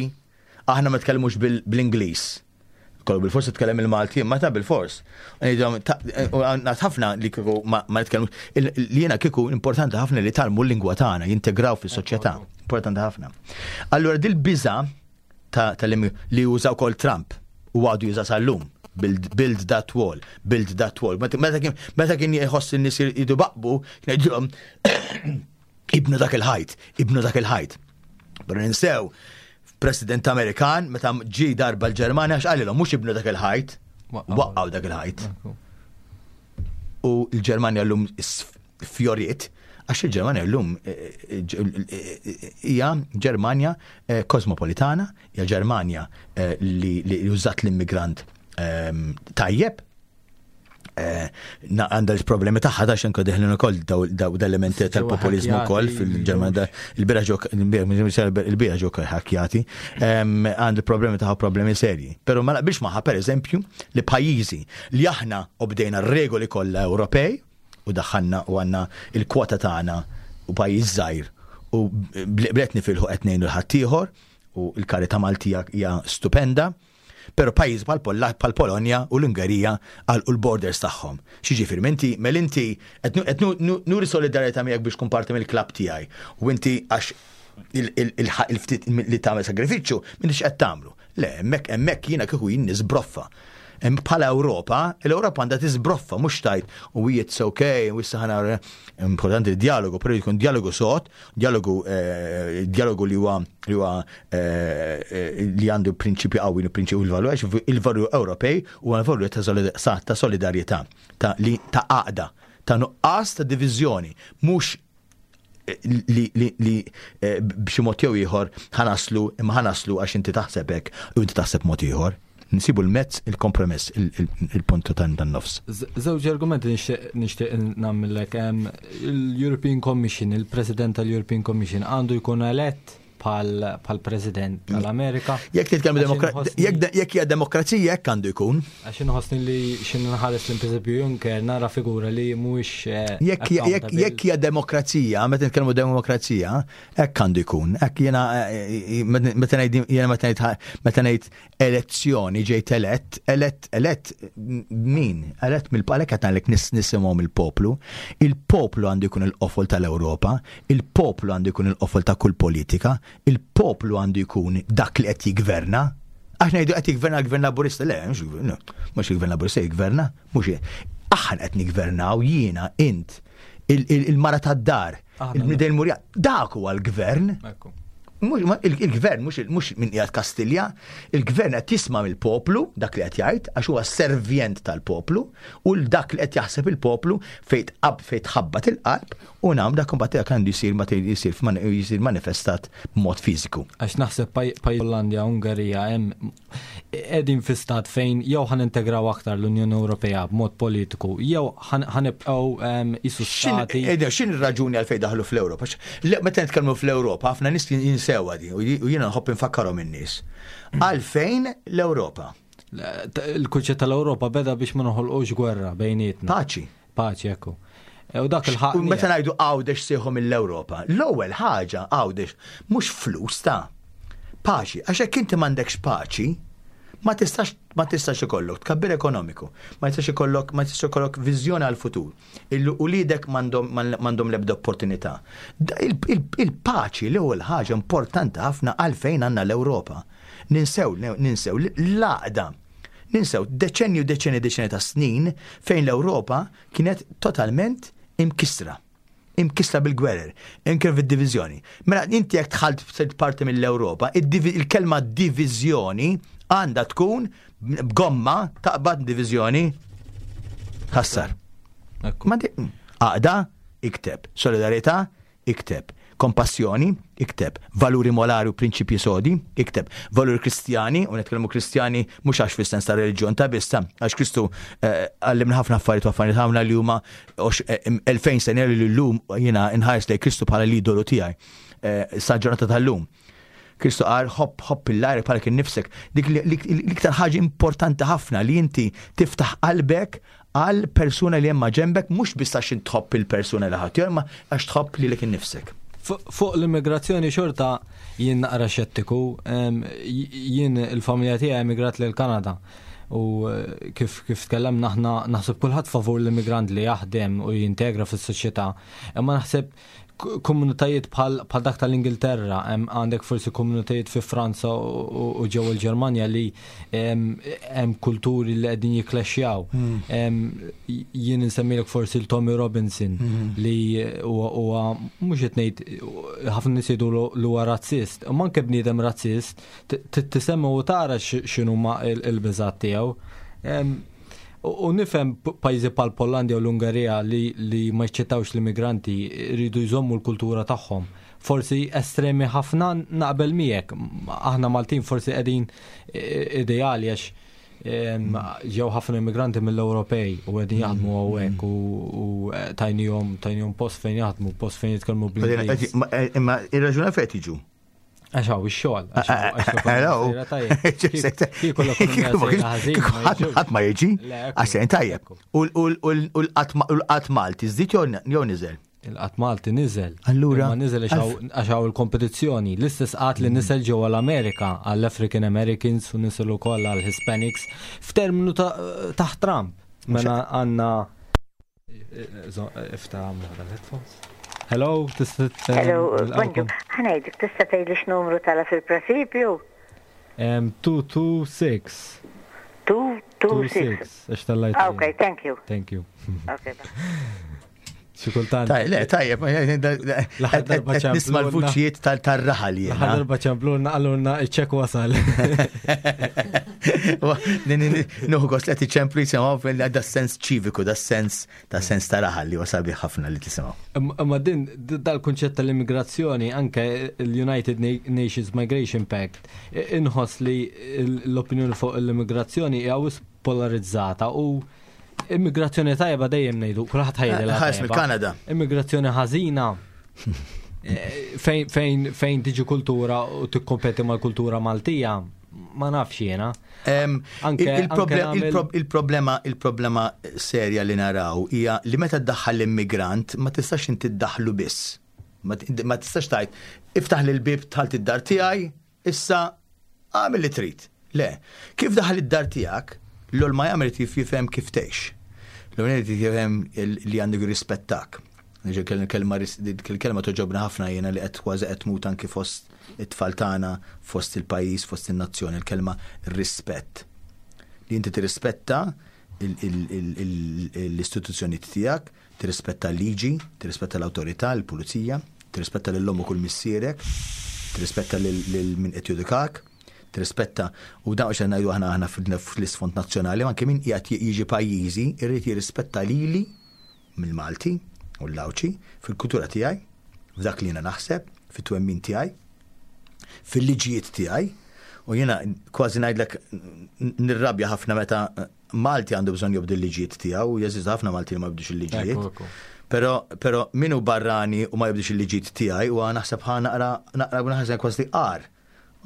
aħna ma tkellmux bl-Ingliż. Kollu bil-fors titkellem il-Malti, ma ta' bil-fors. Ngħid ħafna li kieku ma nitkellmux li jiena kieku importanti ħafna li talmu l-lingwa tagħna, jintegraw fis-soċjetà. Importanti ħafna. Allura dil-biża ta' li jużaw kol Trump u għadu juża sal-lum. Build, build that wall, build that wall. Meta kien jħoss in-nies jidu baqbu, kien jgħidilhom ibnu dak il-ħajt, ibnu dak il-ħajt. Pero ninsew, President Amerikan, meta ġi darba l-Ġermanja, għax qalilhom mhux ibnu dak il-ħajt, waqqgħu dak il-ħajt. U l-Ġermanja llum fjoriet Għax il-Ġermanja llum hija Ġermanja kosmopolitana, hija Ġermanja li użat l-immigrant tajjeb, għandha l-problemi tagħha ta' xenko deħlin ukoll daw l-elementi tal-populizmu wkoll fil-Ġermanja il-bira ġew ħakjati għandu problemi tagħha problemi serji. Però ma naqbilx magħha pereżempju li pajjiżi li aħna obdejna r-regoli kollha Ewropej u daħħalna u għandna il-kwota tagħna u pajjiż żgħir u blet nifilħu qed ngħinu l-ħaddieħor u l-karità Maltija hija stupenda. Però pajjiż bħal Polonja u l-Ungerija għalqu l-borders tagħhom. X'jiġifieri inti mel inti qed nuri solidarjetà miegħek biex tkun parti mill-klabb tiegħi u inti għax il-ftit li tagħmel sagrifiċċju m'intix qed tagħmlu. Le, hemmhekk hemmhekk jiena kieku jien niżbroffa. Bħala Ewropa, l-Ewropa għandha tiżbroffa mhux tgħid u it's okay u issa ħana importanti d-dialogu, però jkun dialogu sod, dialogu eh, dialogu li huwa li huwa eh, eh, li għandu prinċipju qawwi u prinċipju il-valur għax il-valur Ewropej huwa l-valur ta' solidarjetà, ta' li ta' għaqda, ta' nuqqas ta' diviżjoni, mhux li, li, li b'xi mod jew ieħor ħanaslu imma ħanaslu għax inti taħseb hekk u inti taħseb mod ieħor. Nsibu l-mezz, il-kompromess, il-puntu tan-nofs. Żewġ argumenti nixtieq nagħmellek. Il-European Commission, il-President tal-European Commission għandu jkun elett bħal President tal-Amerika. Jekk titkellmu jekk hija demokrazija hekk għandu jkun. Għax inħossni li xi nħares l pereżempju Juncker nara figura li mhuwiex eh, Jekk hija demokrazija, meta nitkellmu demokrazija, hekk għandu jkun. Hekk jiena eh, eh, meta ngħid jiena meta ngħid meta ngħid elezzjoni ġejt elett, elett, elett min? Elett mill-palek qed ngħidlek nis nisimgħu mill-poplu. Il-poplu għandu jkun il-qofol tal-Ewropa, il-poplu għandu jkun il-qofol ta' kull politika, il-poplu għandu jkun dak li qed jiggverna. Għax ngħidu qed jiggverna l-Gvern Laburista, le, mhux il-Gvern Laburista jiggverna, mhux aħna qed niggvernaw jiena, int, il-mara tad-dar, il-bnidel murja, dak huwa l-gvern. Il-gvern mhux minn qiegħed Kastilja, il-gvern qed jisma' mill-poplu dak li qed jgħid għax huwa servjent tal-poplu u dak li qed jaħseb il-poplu fejn tqab fejn tħabbat il-qalb u nam dak imbagħad dak għandu jsir ma jsir jsir manifestat b'mod fiżiku. Għax naħseb pajjiż Hollandja, Ungerija hemm qegħdin fi stat fejn jew ħa nintegraw aktar l-Unjoni Ewropea b'mod politiku, jew ħa nibqgħu qisu stati. X'in ir-raġuni għalfejn daħlu fl-Ewropa? Meta nitkellmu fl-Ewropa, ħafna nies jinsewha di u jiena nħobb infakkarhom in-nies. Għalfejn l-Ewropa? Il-kunċett tal-Ewropa beda biex ma noħolqux gwerra bejnietna. Paċi. Paċi, ekku. E, u dak il-ħaq. U meta ngħidu Għawdex sieħu mill-Ewropa, l-ewwel ħaġa Għawdex mhux flus ta' paċi, għax hekk inti m'għandekx paċi, ma tistax ma tistax ikollok tkabbir ekonomiku, ma tistax ikollok ma tistax ikollok viżjoni għal futur. Il-ulidek m'għandhom l-ebda opportunità. Il-paċi l-ewwel ħaġa importanti ħafna għalfejn għandna l-Ewropa. Ninsew ninsew l-għaqda Ninsew deċenni u deċenni deċenni ta' snin fejn l-Ewropa kienet totalment imkissra. Imkissra bil-gwerer, imkissra fid-diviżjoni. Mela inti jekk dħalt sirt parti mill-Ewropa, il-kelma diviżjoni għandha tkun b'gomma taqbad diviżjoni ħassar. Għaqda, ikteb. Solidarjetà, Ikteb. Kompassjoni, ikteb. Valuri molari u prinċipji sodi, ikteb. Valuri Kristjani, u nitkellmu Kristjani mhux għax fis-sens ta' reliġjon ta' biss, għax Kristu eh, għallimna ħafna affarijiet u affarijiet ħafna li huma 2000 eh, sena li llum jiena nħares lejn Kristu bħala l-idolu tiegħi eh, sa ġurnata tal-lum. Kristu qal ħobb ħobb il-lajr bħala kien nifsek. Dik l-iktar ħaġa importanti ħafna li inti tiftaħ qalbek għal persuna li hemm ma' ġenbek mhux biss għax int tħobb il-persuna li ħadd imma għax tħobb lilek innifsek. Fuq l-immigrazzjoni xorta jien naqra xettiku, jien il-familja tiegħi emigrat lil Kanada u eh, kif kif tkellemna aħna naħseb kulħadd favur l-immigrant li jaħdem u jintegra fis-soċjetà, imma naħseb komunitajiet bħal dak tal-Ingilterra, għandek forsi komunitajiet fi Franza u ġewwa l-Ġermanja li hemm kulturi li qegħdin jikklexxjaw. Hmm. Jien insemmilek forsi l-Tommy Robinson hmm. li huwa mhux qed ngħid ħafna nies jgħidu li huwa razzist, imma anke bniedem razzist tisemma u tara x'inhuma l-biżgħat tiegħu. U nifhem pajjiżi bħal Pollandja u l-Ungerija li, li ma jċettawx l-immigranti jridu jżommu l-kultura tagħhom. Forsi estremi ħafna naqbel miegħek. Aħna Maltin forsi qegħdin ideali għax ġew ħafna immigranti mill-Ewropej u qegħdin jaħdmu hawnhekk u eh, tajnihom tajnihom post fejn jaħdmu, post fejn jitkellmu bl-Ingliż. Eh, imma ir-raġuna fejn jiġu? Għax hawn ix-xogħol. Hello. Ħadd ma jiġi, għax sejn tajjeb. U l-qatt Malti żdied jew niżel? Il-qatt Malti niżel. Allura. Ma niżel għax hawn il-kompetizzjoni. L-istess qatt li niżel ġewwa l-Amerika għall-African Americans u niżel ukoll għall-Hispanics f'terminu taħt Trump. Mela għandna Ifta l-headphones. Hello, tista' Hello, bonġu. Ħanejdek, tista' tgħidli x'numru tala fil-presipju? 226. 226. Għax tal-lajt. Ah, ok, thank you. Thank you. Ok, bye. Xi kultant. Taj, le, tajjeb, nisma l-vuċijiet tal-raħal jien. L-aħħar darba ċemplulna qalulna iċ-ċek wasal. Nuħu gost li qed iċemplu jisimgħu da sens ċiviku, da sens ta' sens ta' raħal li huwa sabiħ ħafna li tisimgħu. Imma din dal-kunċett tal-immigrazzjoni anke l-United Nations Migration Pact inħoss li l-opinjoni fuq l-immigrazzjoni hija polarizzata u Immigrazzjoni tajba dejjem ngħidu, kulħadd ħajjilha. Ħares mill-Kanada. Immigrazzjoni ħażina eh, fejn fejn fejn tiġi kultura u tikkompeti mal-kultura Maltija, ma nafx jiena. Il-problema il-problema serja li naraw hija li meta ddaħħal l-immigrant ma tistax inti ddaħlu biss. Ma tistax tgħid iftaħ l-bib tħalt id-dar tiegħi, Issa, agħmel li trid. Le. Kif daħal id-dar tiegħek, l-ewwel ma jagħmel irid jifhem kif tgħix. L-ewwel irid jifhem li għandu jirrispettak. Il-kelma il-kelma toġobna ħafna jiena li qed kważi qed tmut anki fost it-tfal tagħna, fost il-pajjiż, fost in-nazzjon, il-kelma rispett. Li inti tirrispetta l-istituzzjonijiet tiegħek, Tirrispetta l-liġi, tirrispetta l-awtorità, il-pulizija, tirrispetta lil ommok u l-missierek, tirrispetta lil min qed judikak, tirrispetta u dan mhux qed ngħidu aħna aħna fl-isfond nazzjonali, ma anke min qiegħed jiġi pajjiżi jrid jirrispetta lili mill-Malti u l-Għawdxi fil-kultura tiegħi, f'dak li jiena naħseb, fit-twemmin tiegħi, fil-liġijiet tiegħi u jiena kważi ngħidlek nirrabja ħafna meta Malti għandu bżonn jobdi l-liġijiet tiegħu, jeżistu ħafna Malti li ma jobdux il-liġijiet. Però però min hu barrani u ma jobdix il-liġijiet tiegħi huwa naħseb ħa naqra naqra naħseb kważi qar.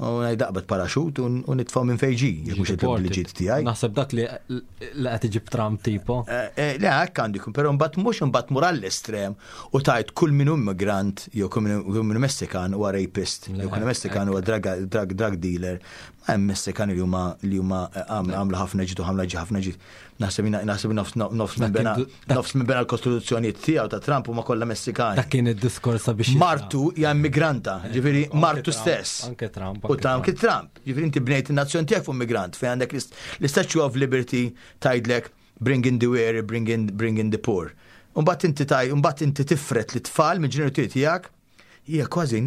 U ngħid aqbad paraxut u nitfgħu minn fejn ġie, jekk mhux qed jobdi l-liġijiet tiegħi. Naħseb dak li li qed iġib Trump tipo. Eh, eh, le, hekk għandu jkun, però mbagħad mhux imbagħad mur għall-estrem u tajt kull min hu immigrant jew kull min hu Messikan huwa rapist, jew kull Messikan huwa drug, drug, drug dealer. Hemm Messikani li huma li huma eh, għamlu ħafna ġid u ħamla ġi ħafna ġid. Naħseb naħseb nofs minn bena nofs minn bena l-kostituzzjonijiet tiegħu ta' Trump huma kollha Messikani. Dak kien id-diskors biex Martu hija immigranta, eh, ġifieri martu stess. Anke Trump. U ta' anke Trump. Ġifieri inti bnejt in-nazzjon tiegħek fuq immigrant fejn għandek l-Statue of Liberty tgħidlek bring in the weary, bring in, bring in the poor. Mbagħad inti taj, mbagħad inti tifret l-tfal mill-ġenituri tiegħek Hija kważi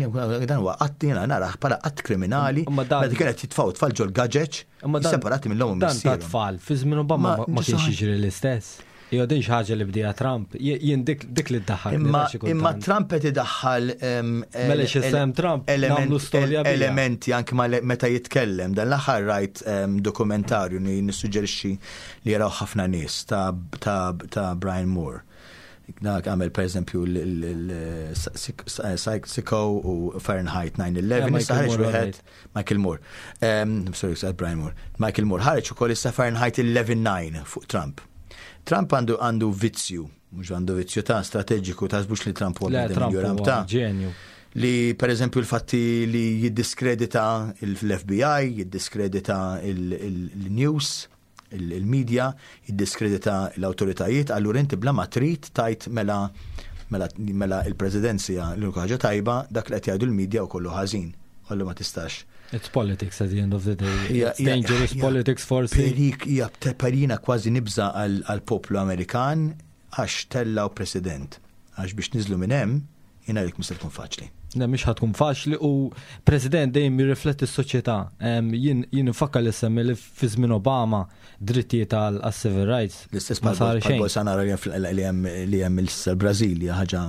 dan huwa qatt jiena narah bħala qatt kriminali meta kienet jitfgħu tfal ġol gaġeġ separati mill-omm u Dan ta' tfal fi żmien Obama ma kienx jiġri l-istess. Jew din xi ħaġa li bdieha Trump, jien dik li ddaħħal. Imma Trump qed idaħħal Mela x'isem Trump nagħmlu storja elementi anke meta jitkellem. Dan l-aħħar rajt dokumentarju li nissuġġerixxi li jaraw ħafna nies ta' Brian Moore. Dak għamel per eżempju l-Sicko u Fahrenheit 9-11, issa ħareġ wieħed Michael Moore. Sorry, sa Brian Moore. Michael Moore ħareġ ukoll issa Fahrenheit 11-9 fuq Trump. Trump għandu għandu vizzju, mhux għandu vizzju ta' strateġiku ta' mhux li Trump huwa bniedem ta' ġenju. Li per eżempju l-fatti li jiddiskredita l-FBI, jiddiskredita il-news, il-media, jiddiskredita l-awtoritajiet, allura inti bla ma trid tgħid mela mela mela il-presidenza l-unika ħaġa tajba dak li qed jgħidu l-media u kollu ħażin. Allu ma tistax. It's politics at the end of the day. It's dangerous politics forsi. Perik hija perina kważi nibża għall-poplu Amerikan għax tellaw president. Għax biex niżlu minn hemm, jiena ngħidlek mhux se tkun faċli. Le, mhix ħa tkun faċli u President dejjem jirrifletti s-soċjetà. Jien nfakkar li semmi li fi żmien Obama drittijiet għal civil rights. L-istess bħal Bolsonaro li hemm il-Brażil hija ħaġa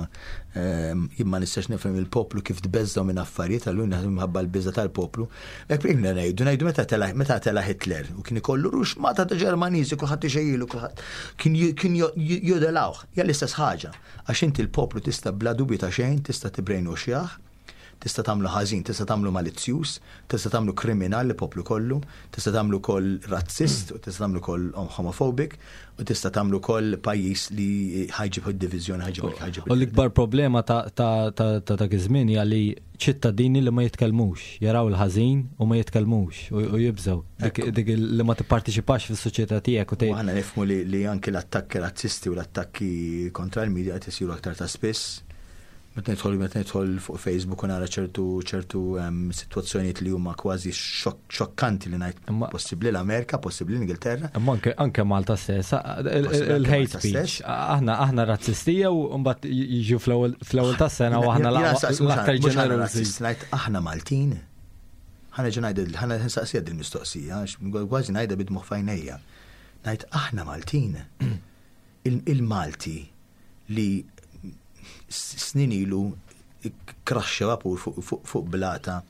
jien ma nistax nifhem il-poplu kif tbeżżgħu minn affarijiet allura naħseb minħabba l-biża' tal-poplu. Hekk ikna ngħidu ngħidu meta tela' meta tela' Hitler u kien ikollu ruxmata ta' Ġermaniżi kulħadd ixejjilu kulħadd kien jodelawh. Hija l-istess ħaġa. Għax inti l-poplu tista' bla dubju ta' xejn tista' tibbrainwashjah, tista' tagħmlu ħażin, tista' tagħmlu malizzjuż, tista' tagħmlu kriminal l-poplu kollu, tista' tagħmlu wkoll razzist, u tista' tagħmlu wkoll homophobic, u tista' tagħmlu wkoll pajjiż li ħa jġib id-diviżjoni, ħa jġib ħa jġib. U l-ikbar problema ta' dak iż-żmien hija li ċittadini li ma jitkellmux, jaraw il-ħażin u ma jitkellmux u jibżgħu. Dik li ma tipparteċipax fis-soċjetà tiegħek u tgħid. Aħna nifhmu li anki l-attakki razzisti u l-attakki kontra l-media qed isiru aktar ta' spiss. Meta nidħol meta nidħol fuq Facebook u nara ċertu ċertu sitwazzjonijiet li huma kważi xokkanti li ngħid possibbli l-Amerika, possibbli l-Ingilterra. Imma anke anke Malta stess, il-hate speech. Aħna aħna razzistija u mbagħad jiġu fl-ewwel tas-sena u aħna l-aktar ġenerużi. Ngħid aħna Maltin. Ħa nerġa' ngħid ħa nsaqsiha din mistoqsija, kważi ngħidha bid-dmugħ f'għajnejja. Ngħid aħna Maltin. Il-Malti li snin ilu kraxxa vapur fuq blata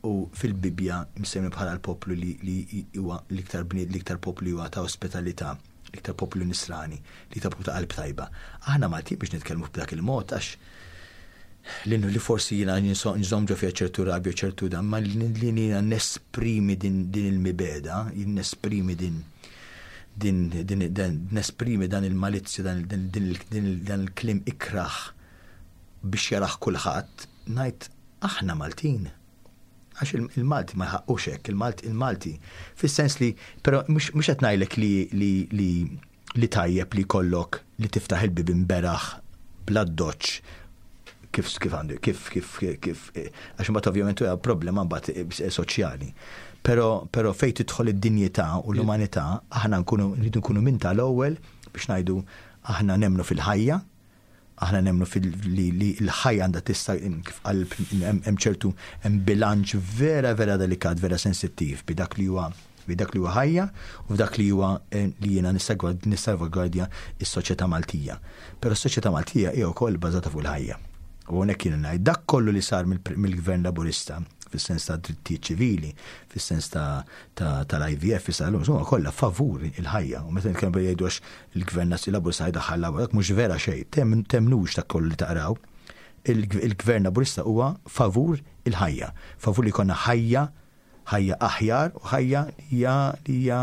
u fil-Bibbja msemmi bħala l-poplu li huwa l-iktar bnied l-iktar poplu li huwa ta' ospitalità, l-iktar poplu nisrani, l-iktar poplu ta' qalb tajba. Aħna Maltin biex nitkellmu b'dak il-mod għax li li forsi jiena nżomm ġo fiha ċertu rabja ċertu dan, ma li jiena nesprimi din il-mibegħda, jien nesprimi din din din nesprimi dan il-malizzja, dan il-kliem ikrah biex jarah kulħadd, ngħid aħna Maltin. Għax il-Malti ma jħaqqux hekk, il-Malti il-Malti fis-sens li però mhux qed ngħidlek li li li li tajjeb li jkollok li tiftaħ il-bibien beraħ bl-addoċċ kif kif għandu kif kif kif għax imbagħad ovvjament huwa problema mbagħad soċjali. Però però fejn tidħol id-dinjità u l-umanità aħna nkunu rridu nkunu minn tal-ewwel biex ngħidu aħna nemmnu fil-ħajja, Aħna nemmnu li l-ħajja għandha tista' kif qal hemm ċertu hemm bilanċ vera vera delikat, vera sensittiv bi dak li huwa bi dak li huwa ħajja u f'dak li huwa eh, li jiena nissalvagwardja s-soċjetà Maltija. Però s-soċjetà Maltija hija wkoll bbażata fuq il-ħajja. U hawnhekk jiena ngħid dak kollu li sar mill-Gvern Laburista fis-sens ta' drittijiet ċivili, fis-sens ta' tal-IVF, issa l-lum, huma kollha favur il-ħajja. U meta nitkellmu jgħidu għax il-gvern Laburista jdaħħal l dak mhux vera xejn, temnux dak kollu li taqraw. Il-gvern Laburista huwa favur il-ħajja, favur li jkollna ħajja ħajja aħjar u ħajja hija li hija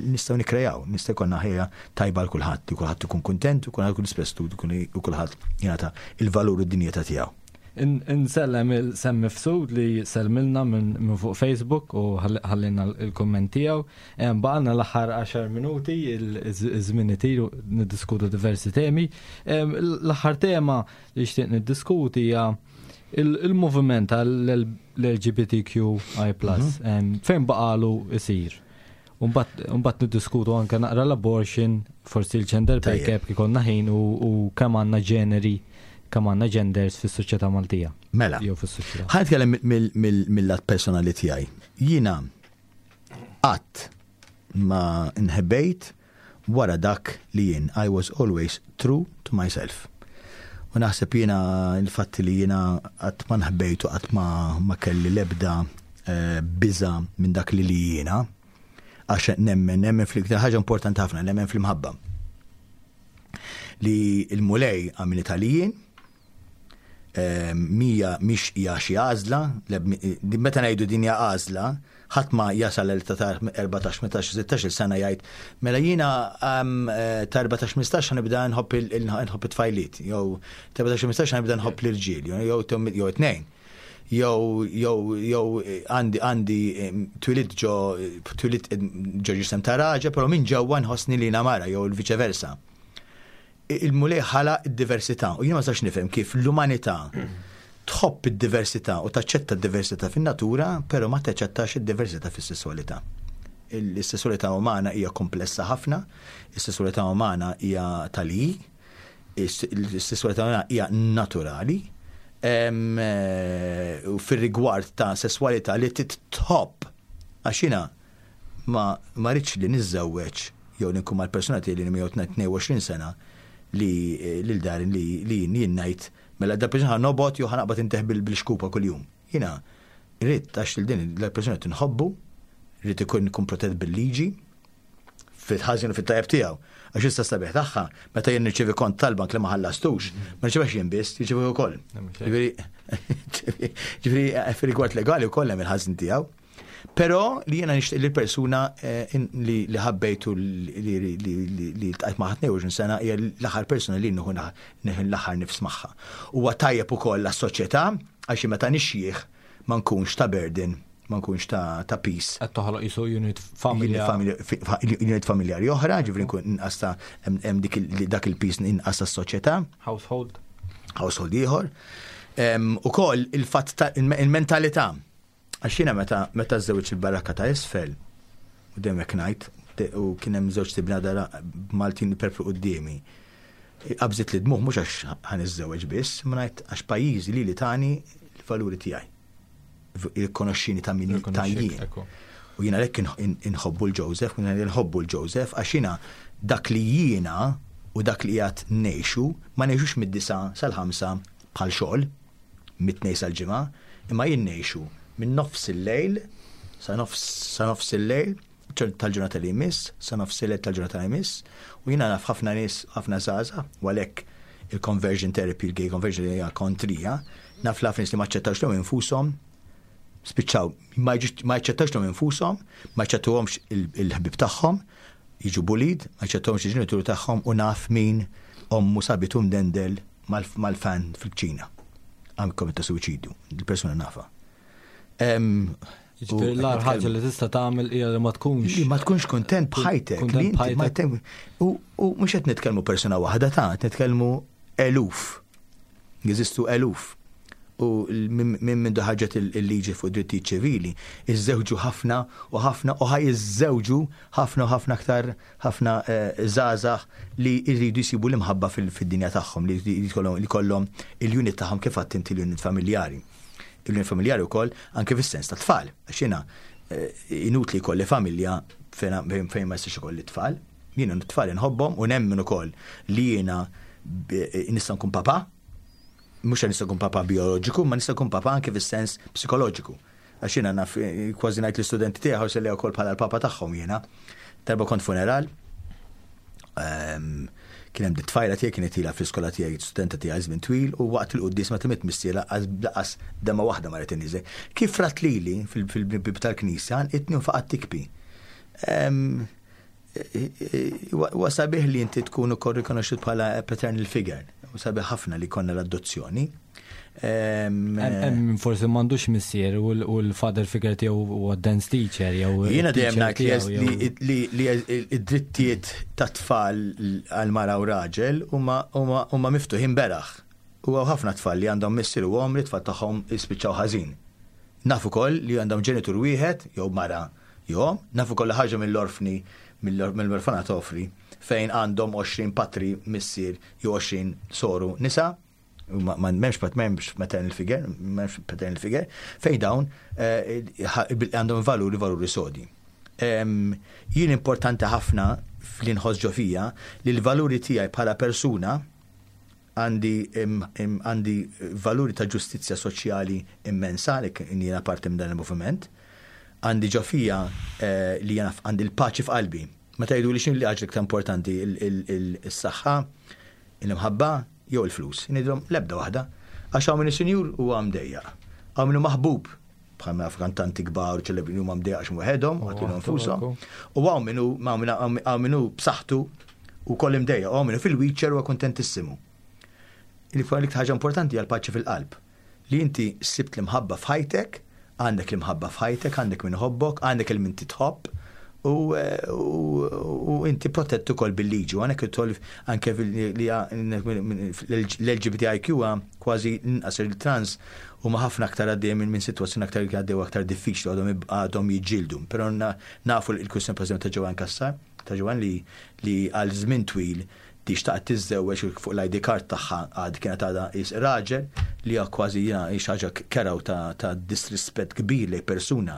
nistgħu nikkrejaw, nistgħu jkollna ħajja tajba għal kulħadd, li kulħadd ikun kuntent u kulħadd ikun isprestut u kulħadd jingħata il-valur u d-dinjità tiegħu. Insellem il-Sem Mifsud li sellmilna minn fuq Facebook u ħallilna l-kumment tiegħu. Baqgħalna l-aħħar 10 minuti, iż-żmien itir u niddiskutu diversi temi. L-aħħar tema li xtieq niddiskuti hija il-moviment tal-LGBTQI+, mhm. fejn baqalu isir. Umbat niddiskutu anke naqra l-abortion, forsi l-gender pay gap kif konna ħin u kemm għandna ġeneri, kemm għandna genders fis-soċjetà Maltija. Mela. Jew fis-soċjetà. Ħa nitkellem mill-lat personali tiegħi. Jiena qatt ma nħebbejt wara dak li jien. I was always true to myself. U naħseb jiena il-fatt li jiena qatt ma nħbejt u qatt ma kelli l-ebda eh, biża minn dak li li jiena, għax nemmen, nemmen fl ħaġa importanti ħafna, nemmen fl-imħabba. Li il-mulej għamil Italijin, eh, mija mhix hija xi għażla, meta ngħidu din hija għażla, ħadd ma jasal l ta' 14, 15, 16 sena jgħid mela jiena eh, ta' 14, 15 ħanibda nħobb it-tfajliet, jew ta' 14, 15 ħanibda nħobb l-irġiel, jew jew tnejn. Jew jew jew għandi għandi twilidt ġo twilidt ġo ġisem ta' raġel, però minn ġewwa nħossni li jiena mara jew il-viċe versa. Il-Mulej ħalaq id-diversità u jien ma nistax nifhem kif l-umanità tħobb id-diversità u taċċetta d-diversità fin-natura, però ma taċċettax id-diversità fis-sesswalità. Is-sesswalità umana hija komplessa ħafna, is-sesswalità umana hija tal-i, is-sesswalità umana hija naturali. U fir-rigward ta' sesswalità li titħobb, għax jiena ma rridx li niżżewweġ jew li nkun mal-persuna tiegħi li miegħu 22 sena li lil darin li jien ngħid mela da persuna ħa nobgħod jew ħa naqbad inteħ bil-xkupa kuljum. Jiena rrid għax lil din il-persuna tinħobbu, rrid ikun ikun protett bil-liġi, fil-ħażin u fit-tajjeb tiegħu. Għax issa sabiħ tagħha, meta jien nirċievi kont tal-bank li ma ħallastux, ma nirċevix jien biss, nirċevi wkoll. Ġifieri, fir-rigward legali wkoll hemm il-ħażin tiegħu. Però li jiena nixtieq li l-persuna li ħabbejtu li ltqajt magħha 22 sena hija l-aħħar persuna li nieħu l-aħħar nifs magħha. Huwa tajjeb ukoll għas-soċjetà għax meta nixjieħ ma nkunx ta' burden, ma nkunx ta' piż. Qed toħloq qisu unit familja. Unit familjari oħra, ġifieri nkun inqas ta' hemm dik dak il-piż inqas tas-soċjetà. Household. Household ieħor. Ukoll il-fatt ta' il-mentalità. Għax jiena meta meta żewġ il-barrakka ta' isfel, u dejjem hekk ngħid, u kien hemm żewġ tibna dara Maltin perplu quddiemi. Qabżit li dmuħ mhux għax ħa niżżewweġ biss, ma ngħid għax pajjiżi li li tani l-valuri tiegħi. Jirrikonoxxini ta' min ta' jien. U jiena lek inħobbu l-Joseph, u jiena nħobbu l-Joseph, għax jiena dak li jiena u dak li qiegħed ngħixu, ma ngħixux mid-9 sal-5 bħal xogħol, mit-tnejn sal-ġimgħa, imma jien ngħixu minn nofs il-lejl sa nofs il-lejl tal-ġurnata li jmiss, sa nofs il-lejl tal-ġurnata li jmiss, u jiena naf ħafna nies, ħafna żgħażagħ, u għalhekk il-conversion therapy, il-gay conversion hija kontrija, naf ħafna nies li ma aċċettawx lilhom infushom, spiċċaw ma jaċċettawx lilhom infushom, ma jaċċettawhomx il-ħbieb tagħhom, jiġu bullied, ma jaċċettawhomx il-ġenituri tagħhom u naf min ommu sabitu mdendel mal-fan fil-kċina. Għam kommetta suwiċidju, il-persuna nafa. Ġifieri l-agħar ħaġa li tista' tagħmel hija li ma tkunx. Li ma tkunx kuntent b'ħajtek. Kuntent b'ħajtek. U mhux qed nitkellmu persuna waħda ta' qed nitkellmu eluf. Jeżistu eluf. U minn minn ħarġet il-liġi fuq drittijiet ċivili, iżżewġu ħafna u ħafna u ħaj iżżewġu ħafna u ħafna aktar ħafna żgħażagħ li jridu jsibu l-imħabba fid-dinja tagħhom, li jkollhom il-unit tagħhom kif għedt inti l-unit familjari. Il-unit familjari wkoll anke fis-sens ta' tfal. Għax jiena inutli jkolli familja fejn ma jistax ikolli tfal. Jiena t-tfal inħobbhom u nemmen ukoll li jiena nista' nkun papa, mhux nista' nkun papa bioloġiku, ma nista' nkun papa anke fis-sens psikoloġiku. Għax jiena naf kważi ngħid l-istudenti tiegħi ħarsu lejha wkoll bħala l-papa tagħhom jiena. Darba kont funeral, kien hemm tfajla tiegħi kienet ilha fl-iskola tiegħi, studenta tiegħi żmien twil, u waqt il-quddies meta miet missierha laqas demgħa waħda ma rid inniżel. Kif rat lili fil-bib tal-knisja, itni u faqgħet tikbi. Huwa sabiħ li inti tkun ukoll rikonoxxut bħala paternal figure. U sabiħ ħafna li konna l-adozzjoni. Hemm forsi m'għandux missier u l-father figure tiegħu huwa dance teacher jew Jiena dejjem teacher ngħid li tiegħu jew li id-drittijiet ta' tfal għal mara u raġel huma miftuħin beraħ. U hawn ħafna tfal li għandhom missier u omm li tfal tagħhom jispiċċaw ħażin. Naf ukoll li għandhom ġenitur wieħed jew mara jew omm, naf ukoll li ħarġu mill-orfni mill-orfanat ofri fejn għandhom 20 patri missier jew 20 soru nisa, ma m'hemmx pat m'hemmx maternal figure, m'hemmx paternal figure, fejn dawn għandhom valuri valuri sodi. Jien importanti ħafna fl inħoss ġo fija li l-valuri tiegħi bħala persuna għandi valuri ta' ġustizzja soċjali immensa li jiena parti minn dan il-moviment. Għandi ġo fija li jiena għandi l-paċi f'qalbi. Meta jgħidu li x'inhi l-ħaġa l-iktar importanti, is-saħħa, il-imħabba jew il-flus. Ngħidilhom l-ebda waħda. Għax hawn min sinjur huwa mdejjaq. Hawn min maħbub bħal ma kantanti kbar u ċelebri huma mdejjaq għax waħedhom, għatilhom nfushom. U hawn min hu hawn min hu b'saħħtu u koll imdejjaq, hawn min hu fil-wheelchair huwa kuntentissimu. L-iktar ħaġa importanti hija l-paċi fil-qalb. Li inti sibt l-imħabba f'ħajtek, għandek l-imħabba f'ħajtek, għandek min iħobbok, għandek il min titħobb, u inti protett ukoll bil-liġi. U għandek idħol anke l-LGBTIQ kważi inqas il-trans huma ħafna aktar għaddejjin minn sitwazzjoni aktar għaddew aktar diffiċli għadhom jiġġieldu. Però nafu l-kwistjoni pereżempju ta' Joanne Cassar, ta' Joanne li għal żmien twil di xtaqt tiżżewweġ fuq l-ID card tagħha għad kienet għadha is raġel li hija kważi jiena hi xi ħaġa kerha u ta' ta' disrispett kbir lejn persuna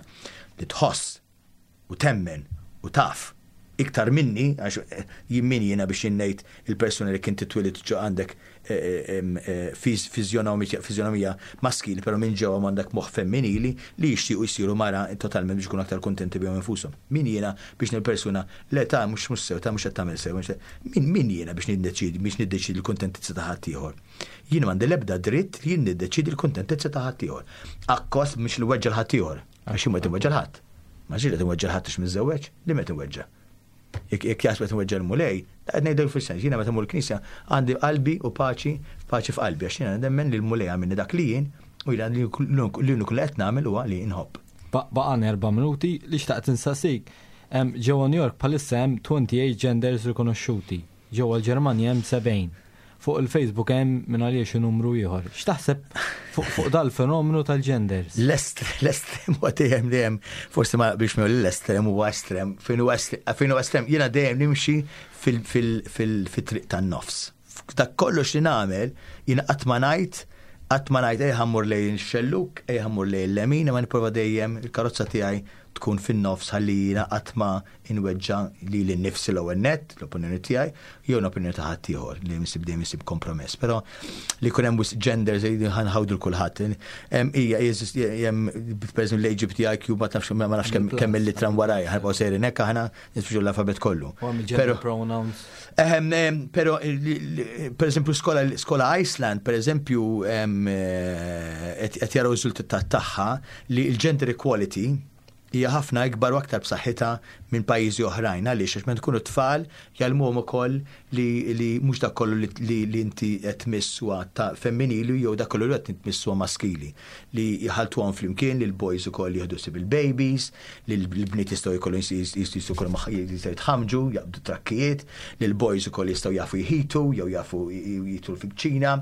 li tħoss u temmen u taf iktar minni, għax jien min jiena biex jien ngħid il-persuna li kien titwieled ġo għandek fiżjonomija maskili però minn ġewwa m'għandek moħħ femminili li jixtiequ jsiru mara totalment biex ikunu aktar kuntenti bihom infushom. Min jiena biex ngħid persuna le ta' mhux mhux sew, ta' mhux qed tagħmel sew, min min jiena biex niddeċiedi biex niddeċiedi l-kuntentizza ta' ħaddieħor? Jien m'għandi l-ebda dritt li jien niddeċiedi l-kuntentizza ta' ħaddieħor. Akkost mhux li weġġa' l-ħaddieħor, għax jien ma qed inweġġa' l-ħadd. Ma ġieli qed inweġġa' l-ħadd għax miżżewweġ, li qed inweġġa'. Jekk jaħseb qed inweġġa' l-Mulej, qed ngħidlek fis-sens, jiena meta mmur il-knisja għandi qalbi u paċi, paċi f'qalbi għax jiena nemmen li l-Mulej għamilni dak li jien u jiena l-uniku li qed nagħmel huwa li nħobb. Baqgħana erba' minuti li xtaqt insaqsik. Ġewwa New York bħalissa hemm 28 genders rikonoxxuti. Ġewwa l-Ġermanja hemm 70. Fuq il-Facebook hemm minn għalija xi numru ieħor. X'taħseb fuq dal-fenomenu tal-genders? L-estrem huwa dejjem dejjem forsi ma biex miegħu l-estrem huwa estrem, fejn huwa estrem jiena dejjem nimxi fil-triq tan-nofs. Dak kollox li nagħmel jiena qatt ma ngħid qatt ma ngħid ejja ħammur lejn ix-xellug, ejja ħammur lejn il-lemin, imma nipprova dejjem il-karozza tiegħi tkun fin-nofs ħalli jiena qatt ma inweġġa' lili nnifsi l-ewwel nett, l-opinjoni tiegħi, jew l-opinjoni ta' ħaddieħor li nsib dejjem insib kompromess. Però li jkun hemm wisq genders li ħanħawdu l kulħadd. Hemm hija jeżisti hemm pereżempju l-LGBTIQ ma tafx ma nafx kemm il-litra warajja ħanibqgħu sejrin hekk aħna nispiċċu l-alfabet kollu. Gender pronouns. Però pereżempju skola skola Iceland pereżempju eh, qed jaraw riżultat tagħha li l-gender equality hija ħafna ikbar u aktar b'saħħitha minn pajjiżi oħrajn. Għaliex? Għax meta tkunu tfal jgħallmuhom ukoll li li mhux dak kollu li li li inti qed tmiss huwa ta' femminili jew dak kollu li qed tmiss huwa maskili. Li jħalltuhom flimkien li l-boys ukoll jieħdu ħsieb il-babies, li l-bniet jistgħu jkollhom jistgħu jkollhom jistgħu jitħammġu, jaqbdu trakkijiet, li l-boys ukoll jistgħu jafu jħitu jew jafu jidħlu fil-kċina,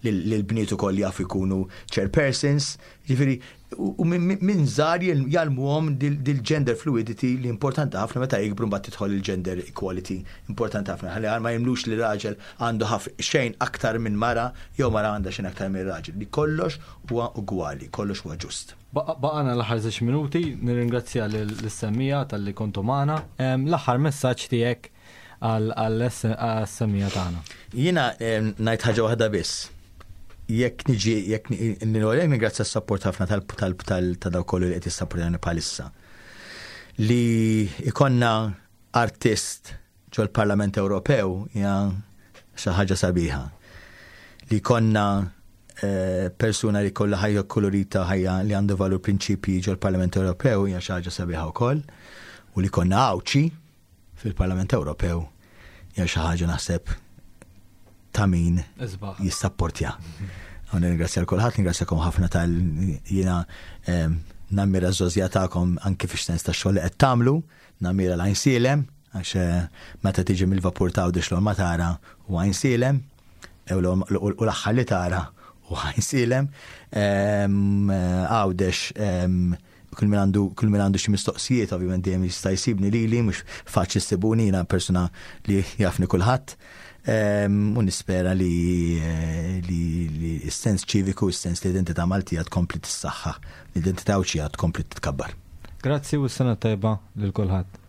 li l-bniet ukoll jafu jkunu chairpersons. Jiġifieri U minn żgħar jgħallmuhom dil-gender fluidity li importanti ħafna meta jikbru mbagħad tidħol il-gender equality importanti ħafna ħalli ma jemmnux li raġel għandu xejn aktar minn mara jew mara għandha xejn aktar minn raġel li kollox huwa ugwali, kollox huwa ġust. Baqgħalna l-aħħar żewġ minuti, nirringrazzja lis-semmiegħa talli kontu magħna. L-aħħar messaġġ tiegħek għas-semmiegħa tagħna. Jiena ngħid ħaġa waħda biss. Jekk niġi, jekk ningrazzja s-support ħafna ta' dawk kollu li qed jissapportjani bħalissa. Li ikonna artist ġol-Parlament Ewropew hija xi ħaġa sabiħa. Li jkollna eh, persuna li kollha ħajja kolorita ħajja li għandu valur prinċipji ġol-Parlament Ewropew hija xi ħaġa sabiħa wkoll. U li konna Għawdxi fil-Parlament Ewropew hija xi ħaġa naħseb ta' min jissapportja. U nirringrazzja l kulħadd, nirringrazzjakom ħafna tal jiena ehm, nammira ż-żożja tagħkom anki fix-sens ta' xogħol li qed tagħmlu, nammira l-Għajnsielem, għax eh, meta tiġi mill-vapur ta' Għawdex l ma tara u Għajnsielem, u l-aħħar li tara u Għajnsielem, ehm, Għawdex ehm, Kull min għandu kull min għandu xi mistoqsijiet ovvjament dejjem jista' jsibni lili mhux faċli ssibuni jiena persuna li jafni kulħadd. Ehm, u nispera li li li s-sens ċiviku, s-sens li identità Maltija tkompli tissaħħaħ, l-identità Għawdxija tkompli titkabbar. Grazzi u s-sena tajba lil kulħadd.